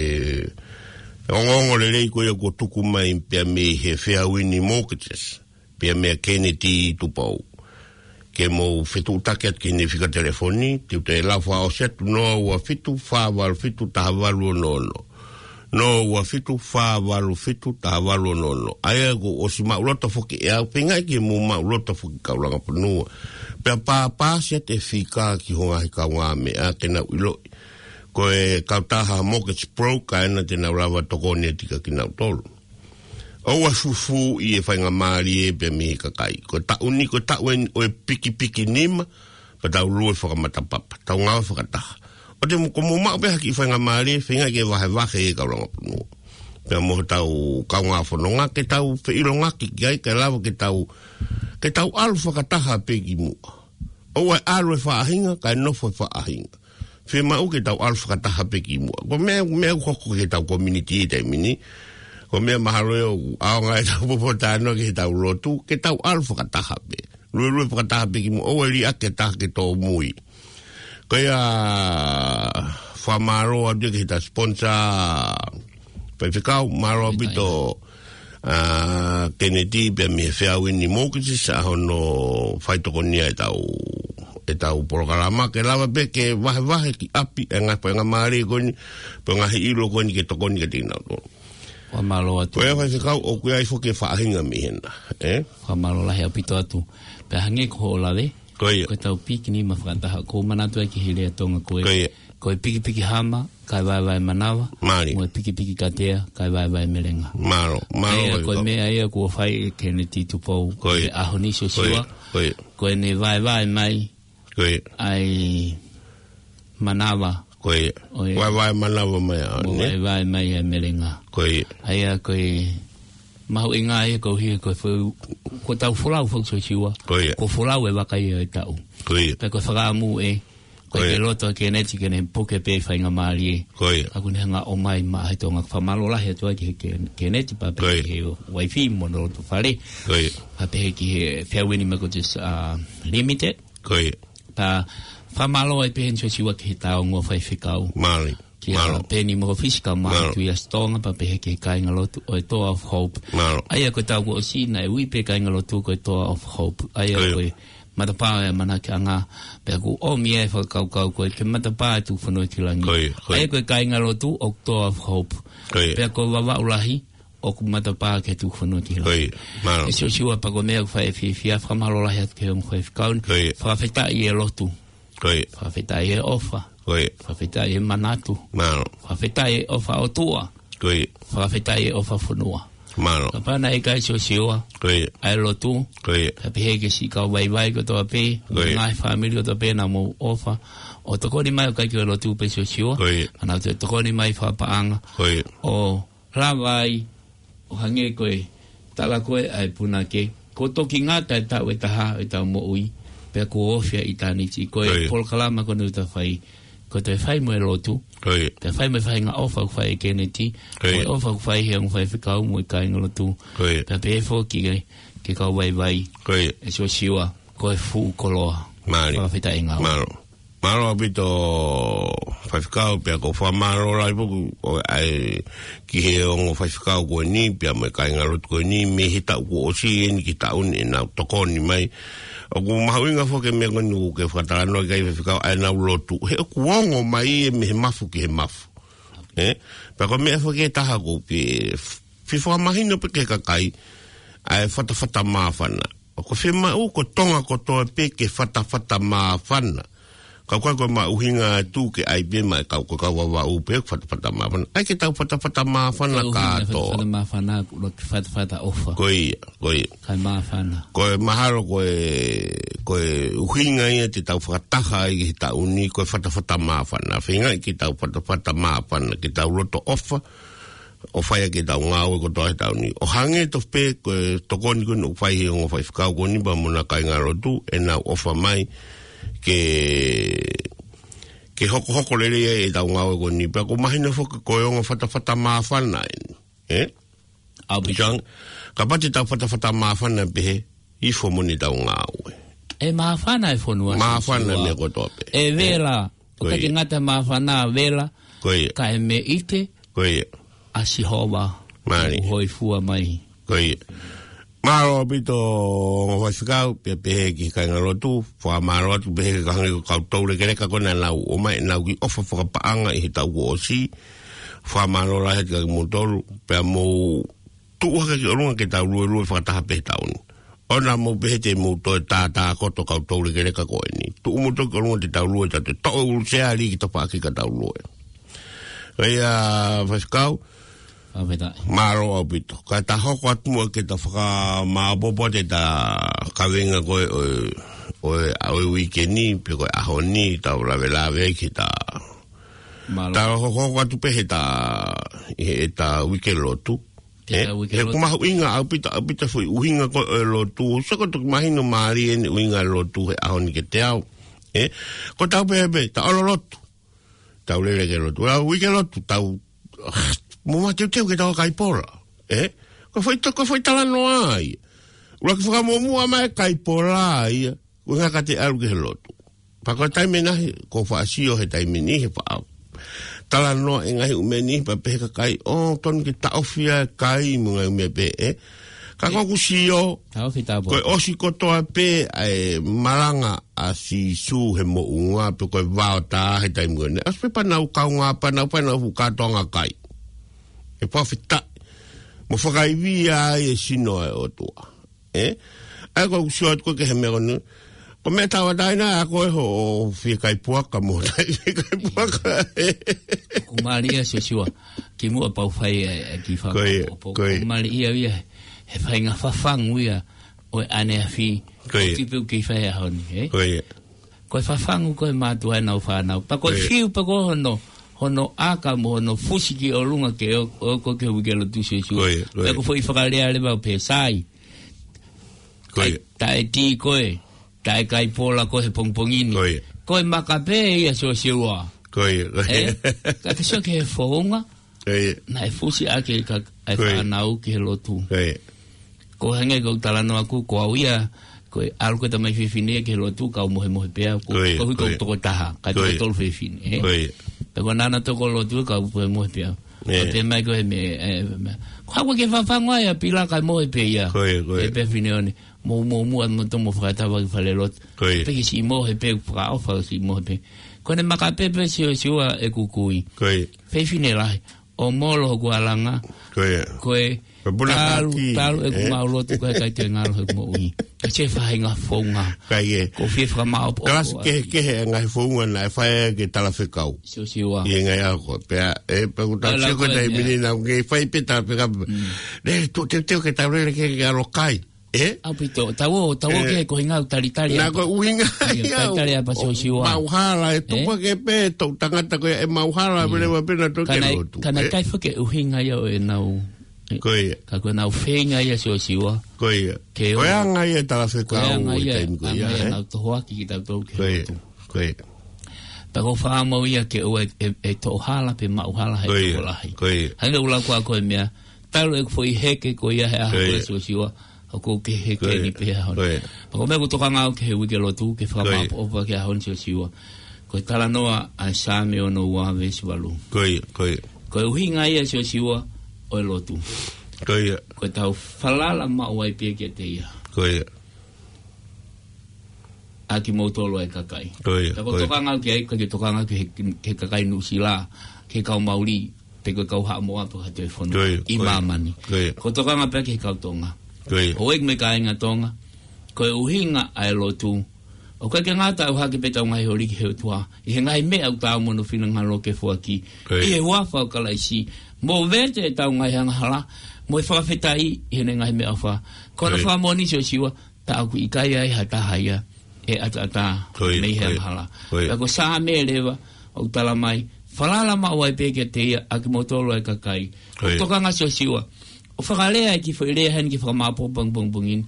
ongoongo lelei ko ia kuo tuku mai pea mei he Fairwind Mortgages, pea meia Keneti Tupou. Ke mou fetuʻutaki atu ki heʻene fika telefoni, te u toe lau fakaʻosi atu, noa ua fitu, fā valu fitu, taha valu ono ono. Noa ua fitu, fā valu fitu, taha valu ono ono. ʻA ia kuo ʻosi maʻuloto foki ʻe au, feingaʻi ke mou maʻuloto foki kau langa fonua. Pea pāpāsi atu e fika ki ho ngaahi kaungāmeʻa ke nau ʻiloʻi ko e kautaha mortgage broker ena te nau lava tokoni atu kia kinautolu. ʻOua fufū ʻi he faingamālie pea mei he kakai. Ko e taʻu ni, ko e taʻu eni ʻo e pikipiki nima, pea tau lue fakamatapapa, tau ngāue fakataha. ʻOua te mou, ko mou maʻu pē ha kiʻi faingamālie, feingaʻi ke vahevahe ʻe he kau langa fonua. Pea mo hotau kaungā fononga, ke tau feʻilongaki ki ai, kae lava ke tau, ke tau ʻalu fakataha pē ki muʻa. ʻOua ʻe ʻalu e faʻahinga, kae nofo e faʻahinga. Fiemaʻu ke tau ʻalu fakataha pē ki muʻa. Ko e meʻa, meʻa ʻoku hoko ki heʻetau community he taimi ni. Ko e meʻa mahalo ʻoku ʻaonga ʻetau pōtalanoa ki heʻetau lotu, ke tau ʻalu fakataha pē. Luelue fakataha pē ki muʻa, ʻoua ʻe liʻaki ha taha ke tōmui. Ko ia, fakamālō atu ki heʻetau sponsor, Faifekau, mālō ʻaupito, ʻa, Keneti pea mei he Fairwind Mortgages, ʻa hono faitokonia ʻetau, ʻetau polokalama, ke lava pē ke vahevahe ki ʻapi e ngaahi faingamālie ko eni, pea ngaahi ʻilo ko eni ke tokoni kiate kinautolu. Fakamālō atu. Ko ia Faifekau, ʻoku ʻi ai foki e faʻahinga mei hena, ē? Fakamālō lahi ʻaupito atu. Pea hangē ko hoʻo lave, ko ia, ko ʻetau piki nima fakataha, ʻoku ou manatu ai ki he lea Tonga ko ē. Ko ia. Ko e pikipiki hama, kae vaevae manava. Mālie. Mo e pikipiki katea, kae vaevae melenga. Mālō, mālō. ʻA ia, ko e meʻa ia kuo fai ʻe Keneti Tupou. Ko ia. He ʻaho ni Siosiua. Ko ia. Ko ia. Ko ʻene vaevae mai. Ko ia. ʻAi manava. Ko ia. ʻO e vaevae manava mai ʻa, mo ne? Vaevae mai ʻa e melenga. Ko ia. ʻA ia ko e mahuʻinga ia ko hia ko e fou, ko tau folau fou Siosiua. Ko ia. Ko folau e vaka ia ʻo e taʻu. Ko ia. Pea ko e fakaʻamu ē, ko e, ko ia, ke loto ʻa Keneti ke ne puke pē faingamālie. Ko ia. Ka kuo ne hanga ʻo ʻomai maʻa he Tonga. Fakamālō lahi atu ai ki he Ken-, Keneti pea pehē, ko ia, ki he uaifi mo hono loto fale. Ko ia. Pea pehē ki he Feauini Microchips, uh, Limited. Ko ia. Pea fakamālō ai pē heni Siosiua ki he taonga faifekau. Mālie. Kia, mālie, Peni Mokofisi kae ʻumaʻā, mālie, Tuʻiasitonga pea pehē ki he kāingalotu ʻo e Door of Hope. Mālie. ʻA ia ko e taʻu kuo ʻosi naʻe ui pē kāingalotu ko e Door of Hope. ʻA ia, ko ia, ko e matapā ʻo e ʻamanakiʻanga, pea kuo ʻomi e fakakaukau ko e ke matapā e tuku fonua ki langi. Ko ia, ko ia. ʻA ia ko e kāingalotu ʻoku Door of Hope. Ko ia. Pea ko Vavaʻu Lahi ʻoku matapā ke tuku fonua ki langi. Ko ia, mālie. ʻE Siosiua, pea ko e meʻa ʻoku fai ʻe fiefia, fakamālō lahi atu ki he ongo faifekau ni. Ko ia. Fakafetaʻi e lotu. Ko ia. Fakafetaʻi e ʻofa. Ko ia. Fakafetaʻi e manatu. Mālie. Fakafetaʻi e ʻofa ʻOtua. Ko ia. Fakafetaʻi e ʻofa fonua. Mālie. Kapau naʻe ʻikai Siosiua, ko ia, ʻa e lotu, ko ia, ka pehē ki he siʻi kau vaivai kotoa pē, ko ia, ngaahi fāmili kotoa pē naʻa mou ʻofa ʻo tokoni mai, ʻo ʻikai ko e lotu pē Siosiua, ko ia, ʻa naʻa nau toe tokoni mai fakapaʻanga, ko ia, ʻo lava ai ʻo hangē ko e tala ko ē ʻa e punake, kuo toki ngata e taʻu ʻe taha ʻo ʻetau moʻui, pea kuo ofi ʻa ʻitāniti. Ko e, ko ia, polokalama ko eni ʻoku ta fai, ko e toe fai mo e lotu, ko ia, pea fai mo e faʻahinga ʻofa ʻoku fai ʻe Keneti, ko ia, mo e ʻofa ʻoku fai he ongo faifekau mo e kāingalotu, ko ia, pea pehē foki ki he, ki he kau vaivai, ko ia, ʻe Siosiua, ko e fuʻu koloa. Mālie. Fakafetaʻi ngāue. Mālie. Mālō ʻaupito faifekau, pea ʻoku ou fakamālō lahi foki ʻo e ʻai ki he ongo faifekau ko eni, pea mo e kāingalotu ko eni, mei he taʻu kuo ʻosi eni ki he taʻu ni ʻenau tokoni mai. ʻOku mahuʻinga foki e meʻa ko eni ʻoku ke fakatalanoa ki ai faifekau, ʻa ʻenau lotu. He ʻoku ongo mai ia mei he mafu ki he mafu. Ē? Pea ko e meʻa foki ʻe taha ʻoku ou fie fakamahino pē ki he kakai, ʻa e fatafata māfana. ʻOku fiemaʻu ko Tonga kotoa pē ke fatafata māfana. Ka ʻoku ʻikai ko e maʻu ʻuhinga atu ke ʻai pē maʻa e kau, ko e kau Vavaʻu pē, fatafata māfana. ʻAi ke tau fatafata māfana kātoa. Fatafata māfana, ʻoku ʻikai ke fatafata ʻofa. Ko ia, ko ia. Kae māfana. Ko e mahalo ko e, ko e ʻuhinga ia te tau fakataha ai ki he taʻu ni, ko e fatafata māfana. Feingaʻi ke tau fatafata māfana, ke tau loto ʻofa, ʻo fai ʻaki ʻetau ngāue kotoa he taʻu ni. ʻO hangē tofu pē ko e tokoni ko eni ʻoku fai he ongo faifekau ko eni pea mo hona kāingalotu, ʻenau ʻofa mai ke, ke hokohoko lelei ai ʻetau ngāue ko eni. Pea ʻoku mahino foki ko e ongo fatafata māfana eni. Ē? ʻAupito. Kapau te tau fatafata māfana pehē, ifo moʻoni ʻetau ngāue. ʻE māfana e fonua. Māfana e meʻa kotoa pē. ʻE vela. Ko ia. ʻOku ʻikai ke ngata māfana, vela. Ko ia. Kae meʻite. Ko ia. ʻA Sihova. Mālie. Hōifua mai. Ko ia. Mālō ʻaupito ongo faifekau, pea pehē ki he kāingalotu, fakamālō atu pehē ki he kakai ko e kau toulekeleka ko ē naʻa nau ō mai, ʻenau kiʻi ʻofa fakapaʻanga ʻi he taʻu kuo ʻosi. Fakamālō lahi atu kiate kimoutolu, pea mou tuʻu hake ki ʻolunga ke tau luelue fakataha pē he taʻu ni. ʻOua naʻa mou pehē te mou toe tātākoto kau toulekeleka ko eni. Tuʻu moutolu ki ʻolunga te tau lue, tau toe toʻo e ʻuluseali ki tafaʻaki ka tau lue. ʻA ia, faifekau. Fakafetaʻi. Mālō ʻaupito. Kae ta hoko atu muʻa ke ta fakamāopoopo atu ʻeta kaveinga ko ē ʻo e, ʻo e, ʻo e uike ni, pe ko e ʻaho ni, tau lavelave ai ki heʻeta. Mālō. Ta hoko, hoko atu pē heʻeta, ʻi heʻeta uike lotu. Ke, ē, tau uike lotu. He ʻoku mahuʻinga ʻaupito, ʻaupito e foʻi ʻuhinga ko ē ʻo e lotu. Sio ko e toki mahino mālie eni e ʻuhinga e lotu he ʻaho ni kiate au. Ē, ko ʻetau pehē pē, ta ʻalu ʻo lotu. Tau lele ke lotu. Tau uike lotu, tau, mou mateuteu ke tau kai pola. Ē, ko e foʻi to-, ko e foʻi talanoa ia. ʻUluaki fakamuʻomuʻa mai kai pola ia. Ko e ʻuhinga ka te ʻalu ki he lotu. Pea ko e taimi ʻe niʻihi, ʻoku ou faʻa sio he taimi ʻe niʻihi he faʻa talanoa e ngaahi ʻū meʻa ni, pea pehē ʻe he kakai, ʻoku totonu ke taʻofi ʻa e kai mo e ngaahi ʻū meʻa pehē, ē. Ka ko ʻeku sio, taʻofi tāpō. Ko e ʻosi kotoa pē ʻa e malanga ʻa Sīsū he moʻunga, pe ko e vao tā he taimi ko eni. ʻOsi pē pea nau kaungā, pea nau pea nau fuʻu kātoanga kai. ʻE fakafetaʻi. Mo fakaivia ai e sino ʻa e ʻOtua. Ē? ʻA ia ko ʻeku sio atu ko ē ki he meʻa ko eni. Ko e meʻa tauʻatāina ʻa ko ē hoʻo fie kai puaka mo tai fie kai puaka. ʻOku mālie Siosiua. Kimuʻa pea u fai e, e kiʻi faka-, ko ia, ʻoku, ko ia. ʻOku mālie ia he faʻahinga fafangu ia ʻo e ʻaneafi. Ko ia. ʻOku kiʻi pē u kiʻi fai he ʻaho ni, ē? Ko ia. ko e fafangu ko ē mātuʻa ʻenau fānau. Pea ko e Ko ia. fiu pē ko hono, hono ʻaka mo hono fusi ki ʻolunga ke ō, ō ko ē ki he uike lotu Siosiua. Ko ia, ko ia. Pea ko e foʻi fakalea leva ʻoku pehē sai. Ko ia. Taʻe, taʻe tī koe, taʻe kai pola koe he pongipongi ni. Ko ia. Ko e maka pē ia Siosiua. Ko ia, ko ia. Ē? Ka ke sio ki he founga, Ko ia. naʻe fusi ʻaki e ka-, e Ko ia. fānau ki he lotu. Ko ia. Ko e hangē ko e talanoa ʻaku, ko au ia, ko e ʻalu ko ē tamai fefine ki he lotu, kau mohemohe pē au, ko, Ko ia, ko hui ko ko ia. toko taha, ka Ko ia. toko tolu fefine, ē? Ko ia. Pea ko ʻena ʻana toko lotu, kau mohemohe pē au. Ia. Ka pehē mai ko e meʻa, ē, meʻa. Ko e hā koā ke fafangu ai ʻa Pila kae mohe pē ia. Ko ia, ko ia. Pehē Fineone, mou, mou, mou, ʻa mo tomo fakatava ki fale lotu. Ko ia. Pea ke siʻi mohe pē, fakaʻofa siʻi mohe pē. Ko ʻene maka pē pē Siosiua ʻeku kui. Ko ia. Fefine lahi. ʻO molo hoku alanga. Ko ia. Ko e Ko e puna talu, kaki, talu ʻeku ē? mau lotu ko e ʻikai toe ngalo heʻeku moʻui. Ka se faʻahinga founga. Ka ia. Ko e fie fakamaʻopoʻopo. Kalasi kehekehe e ngaahi founga naʻe fai ʻe he talafekau. Siosiua. ʻI he ngaahi ʻaho ko ē. Pea, ē, pea ko e tau Ala sio ko ko e e taimi meʻa. ni naʻa ke fai pē talafekau. Mm. Ne, tuʻu teuteu ke tau lele ke, ke ʻalu ʻo kai. Ē? ʻAupito, tau ō, tau ō Ē. ke ko hinga ʻo talitali Naʻa apa. ko e ʻuhinga Ia, ia, talitali apa ʻo Siosiua. maʻuhala, ʻe Ē? tupu ke pē, tau tangata ko ia ʻe maʻuhala, Ia. vele wa pena tau Ka ke naʻe, lotu. ka naʻe Ē? ʻikai foki e ʻuhinga ia ʻo ʻenau. Ko ia. Ka ko ʻenau feinga ia Siosiua. Ko ia. Ke Ko e ō. anga ia e talafekau Ko e anga ʻi he ia, taimi ko anga ia, ia ē? ʻenau tohoaki kitautolu ki he Ko ia. lotu. Ko ia. Pea ko e fakaʻamu ia ke ʻoua ʻe, ʻe, ʻe toʻohala pe maʻuhala he Ko ia. tokolahi. Ko ia. Hangē ʻoku lau ko ē ko e meʻa, talu ʻeku foʻi heke ko ia he ʻaho Ko ko ē ia. Siosiua, ʻoku ou kei heke Ko ia. ni pē he ʻaho ni. Ko ia. Pea ko e meʻa ʻoku ou tokanga au ki he uike lotu, ke Ko ia. fakamaʻopoʻopo ki he ʻaho ni Siosiua. Ko e talanoa ʻa e Saame ono ua veesi valu. Ko ia, ko ia. Ko e ʻuhinga ia Siosiua ʻo e lotu. Ko ia. Ko ʻetau falala maʻu ai pē kiate ia. Ko ia. ʻA kimoutolu ʻa e kakai. Ko ia, Ka ko ko ia. tokanga au ki ai, ka ke tokanga ki he, ki he kakai Nuʻusila, ki he kau Mauli, pe ko e kau Haʻamoa pe ko ha toe fonua Ko ia, ʻi ko ia. māmani. Ko ia. Ko e tokanga pē ki he kau Tonga. Ko ia. ʻOku ʻi ai mo e kāinga Tonga. Ko e ʻuhinga ʻa e lotu. ʻOku ʻikai ke ngata ʻoku hake pē ʻetau ngaahi holi ki he ʻOtua. ʻI he ngaahi meʻa ʻoku tau mono finangalo ke foaki. Ko ia. ʻI he huafa ʻo Kalaisi. Mo vete ʻetau ngaahi angahala. Mo e fakafetaʻi ʻi heʻene ngaahi meʻaʻofa. Ko ʻene Ko ia. fakamoʻoni Siosiua. Pea ʻoku ʻikai ai ha taha ia ʻe ʻataʻatā Ko ia, mei he ko ia. angahala. Ko ia. Pea ko e Saame leva, ʻoku tala mai, falala maʻu ai pē kiate ia ʻa kimoutolu ʻa e kakai. Ko ia. Tokanga Siosiua, ʻo fakalea e kiʻi foʻi lea heni ke fakamaʻopoʻopo pongipongi ni.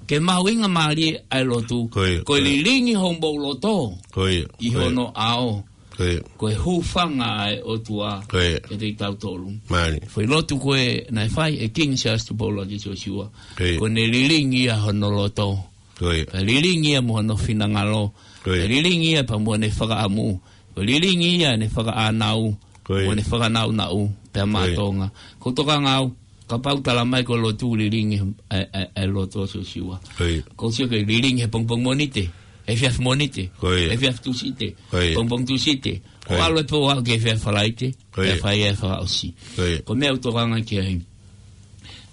Ke mahuʻinga mālie ʻa e lotu. Ko ia, Ko e ko ia. lilingi homou loto. Ko ia, ʻI ko ia. hono ʻao. Ko ia. Ko e hūfanga ʻa e ʻOtua Ko ia. kiate kitautolu. Mālie. Foʻi lotu ko ē naʻe fai ʻe Kingi Siaosi Tupou ʻUluaki Siosiua. Ko ia. Ko ʻene lilingi ia hono loto. Ko ia. Pea lilingi ia mo hono finangalo. Ko ia. Pea lilingi ia pea mo ʻene fakaʻamu. Ko e lilingi ia ʻene fakaʻānau. Ko ia. Mo ʻene fakanaunau. Pea Ko ia. māʻolunga. ʻOku ou tokanga au, kapau tala mai ko e lotu lilingi ʻa e, ʻa e, ʻa e loto Siosiua. Ko ia. ʻOku ou sio ki he lilingi he pongipongi Mōnite, efiafi Mōnite, Ko ia. efiafi Tūsite, Ko ia. pongipongi Tūsite. Ko ia. ʻO ʻalu e pō ʻo aʻu ki he efiafi Falaite, Ko ia. pea fai e fakaʻosi. Ko ia. Ko e meʻa ʻoku ou tokanga ki ai.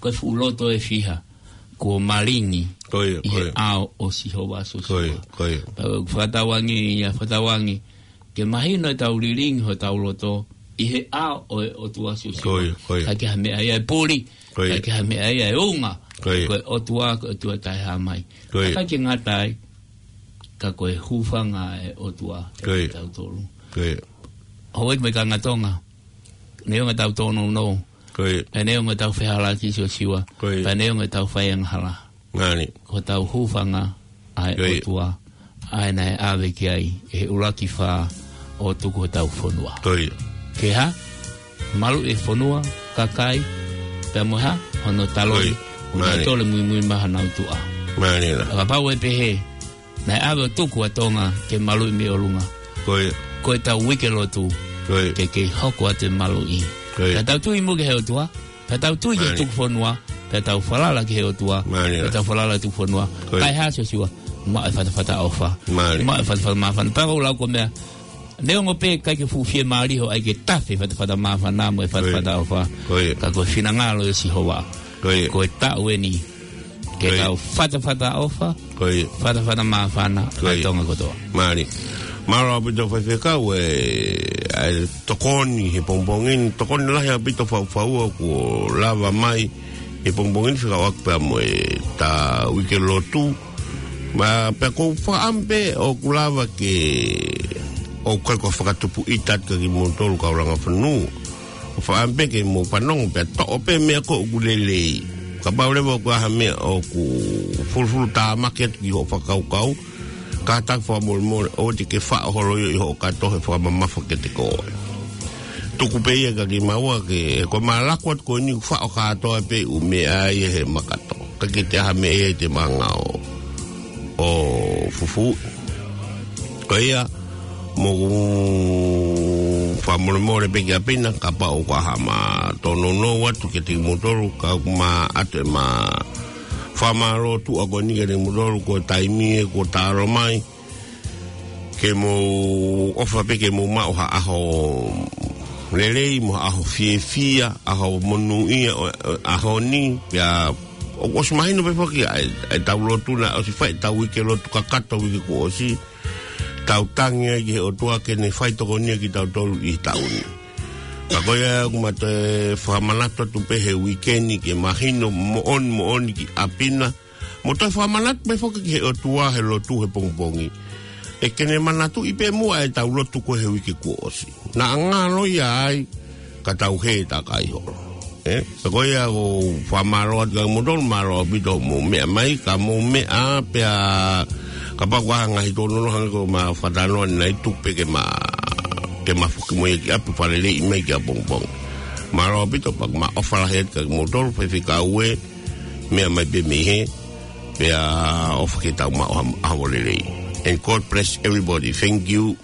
Ko e fuʻu loto ʻe fiha, kuo malingi Ko ia, ʻi ko he ia. ʻao ʻo Sihova Siosiua. Ko ia, ko ia. Pea ʻoku fakatauange ia, fakatauange, ke mahino ʻetau lilingi hotau loto ʻi he ʻao ʻo e ʻOtua Siosiua. Ko ia, ko ia. ʻIkai ke ha meʻa ia ʻe puli, Ko ia. ʻikai ke ha meʻa ia ʻe unga, Ko ia. ko e ʻOtua, ko e ʻOtua taʻehāmai. Ko ia. ʻIkai ke ngata ai, ka ko e hūfanga ʻa e ʻOtua Ko ia. kitautolu. Ko ia. Houʻeiki mo e kāinga Tonga, neongo ʻetau tōnounou, Ko ia. pea neongo ʻetau fehālaaki Siosiua, Ko ia. pea neongo ʻetau faiangahala. Ngani. Ko ʻetau hūfanga ʻa e Ko ia. ʻOtua, ʻa ia naʻe ʻave ki ai ʻe he ʻuluaki fā ʻo tuku hotau fonua. Ko ia. Ke hā? Maluʻi e fonua, kakai, pea mo e hā? Hono taloni. Ko ia. Ngani. Tole muimui maha nau tuʻa. Ngani la. Kapau ʻe pehē, naʻe ʻave ʻo tuku ʻa Tonga ke maluʻi mei ʻolunga. Ko ia. Ko ʻetau uike lotu. Ko ia. Ke kei hoko atu e maluʻi. Ko ia. Ka tau tui mo ki he ʻOtua. Pea tau tui ki he Mālie. tuku fonua, pea tau falala ki he ʻOtua, Mālie. pea tau falala tuku fonua. Ko ia. Kae hā Siosiua, maʻu e fatafata ʻofa. Mālie. Maʻu e fatafata māfana. Pea ʻoku ou lau ko e meʻa, neongo pē ʻikai ke fuʻu fiemālie hoʻo ʻai ke tafe fatafata māfana mo e fatafata Ko ia. ʻofa. Ko ia. Ka ko e finangalo ʻo Sihova. Ko ia. Ko e taʻu eni. Ke Ko ia. tau fatafata ʻofa, Ko ia. fatafata māfana, Ko ia. ʻa Tonga kotoa. Mālie. Mālō ʻaupito faifekau ē, ʻa e tokoni he pongipongi ni, tokoni lahi ʻaupito faufaua kuo lava mai he pongipongi ni fekauʻaki pea mo e ta uike lotu. Ma pea ʻoku ou fakaʻamu pē ʻoku lava ke, ʻoku ʻikai ko e fakatupu ʻita atu kia kimoutolu kau langa fonu. ʻOku ou fakaʻamu pē ke mou fanongo pea toʻo pē meʻa ko ē ʻoku lelei. Kapau leva ʻoku ʻi ai ha meʻa ʻoku fulufulutāmaki atu ki hoʻo fakakaukau, kātaki fakamolemole ʻoua te ke faʻo holo ia ʻi hoʻo kato he fakamamafa kiate koe. Tuku pē ia kia kimaua ke, ko e malako atu ko eni ʻoku faʻo kātoa pē ʻū meʻa ia he makato. ʻIkai ke toe ʻi ai ha meʻa ia ʻe te mangao ʻo fufū. Ko ia, mou fakamolemole pē kia Pina, kapau ʻoku ʻi ai haʻama tōnounou atu kiate kimoutolu, ka ʻoku ma ʻoatu ʻema fakamālō tuʻa ko eni kiate kimoutolu, ko e taimi ē kuo tā ʻalu mai, ke mou ʻofa pē ke mou maʻu ha ʻaho lelei, mo ha ʻaho fiefia, ʻaho monūʻia ʻo, ʻo, ʻaho ni, pea ʻoku ʻosi mahino pē foki ʻa e, ʻa ʻetau lotu naʻe ʻosi fai ʻetau uike lotu kakato uike kuo ʻosi, tau tangi ai ki he ʻOtua ke ne fai tokoni kiate kitautolu ʻi he taʻu ni. Ka ko ia ʻoku ma toe fakamanatu atu pē he uike ni ke mahino moʻoni moʻoni kia Pina, mo toe fakamanatu pē foki ki he ʻOtua he lotu he pongipongi, ʻe ke ne manatuʻi pē muʻa ʻetau lotu ko ē he uike kuo ʻosi. Naʻa ngalo ia ai, ka tau hē takai holo. Ē, pea ko ia ʻoku ou fakamālō atu kia kimoutolu, mālō ʻaupito hoʻomou meʻa mai, ka mou meʻa pea kapau ʻoku ʻi ai ha ngaahi tōnounou hangē ko ʻema fakatalanoa ni naʻe tuku pē ke ma, ke ma foki mo ia ki ʻapi, fakaleleiʻi mai ki ʻapongipongi. Mālō ʻaupito, pea ʻoku ma ʻofa lahi atu kia kimoutolu, faifekau ē, meʻa mai pē mei hē, pea ʻofa ke tau maʻu ha, ha ʻaho lelei. And God bless everybody. Thank you.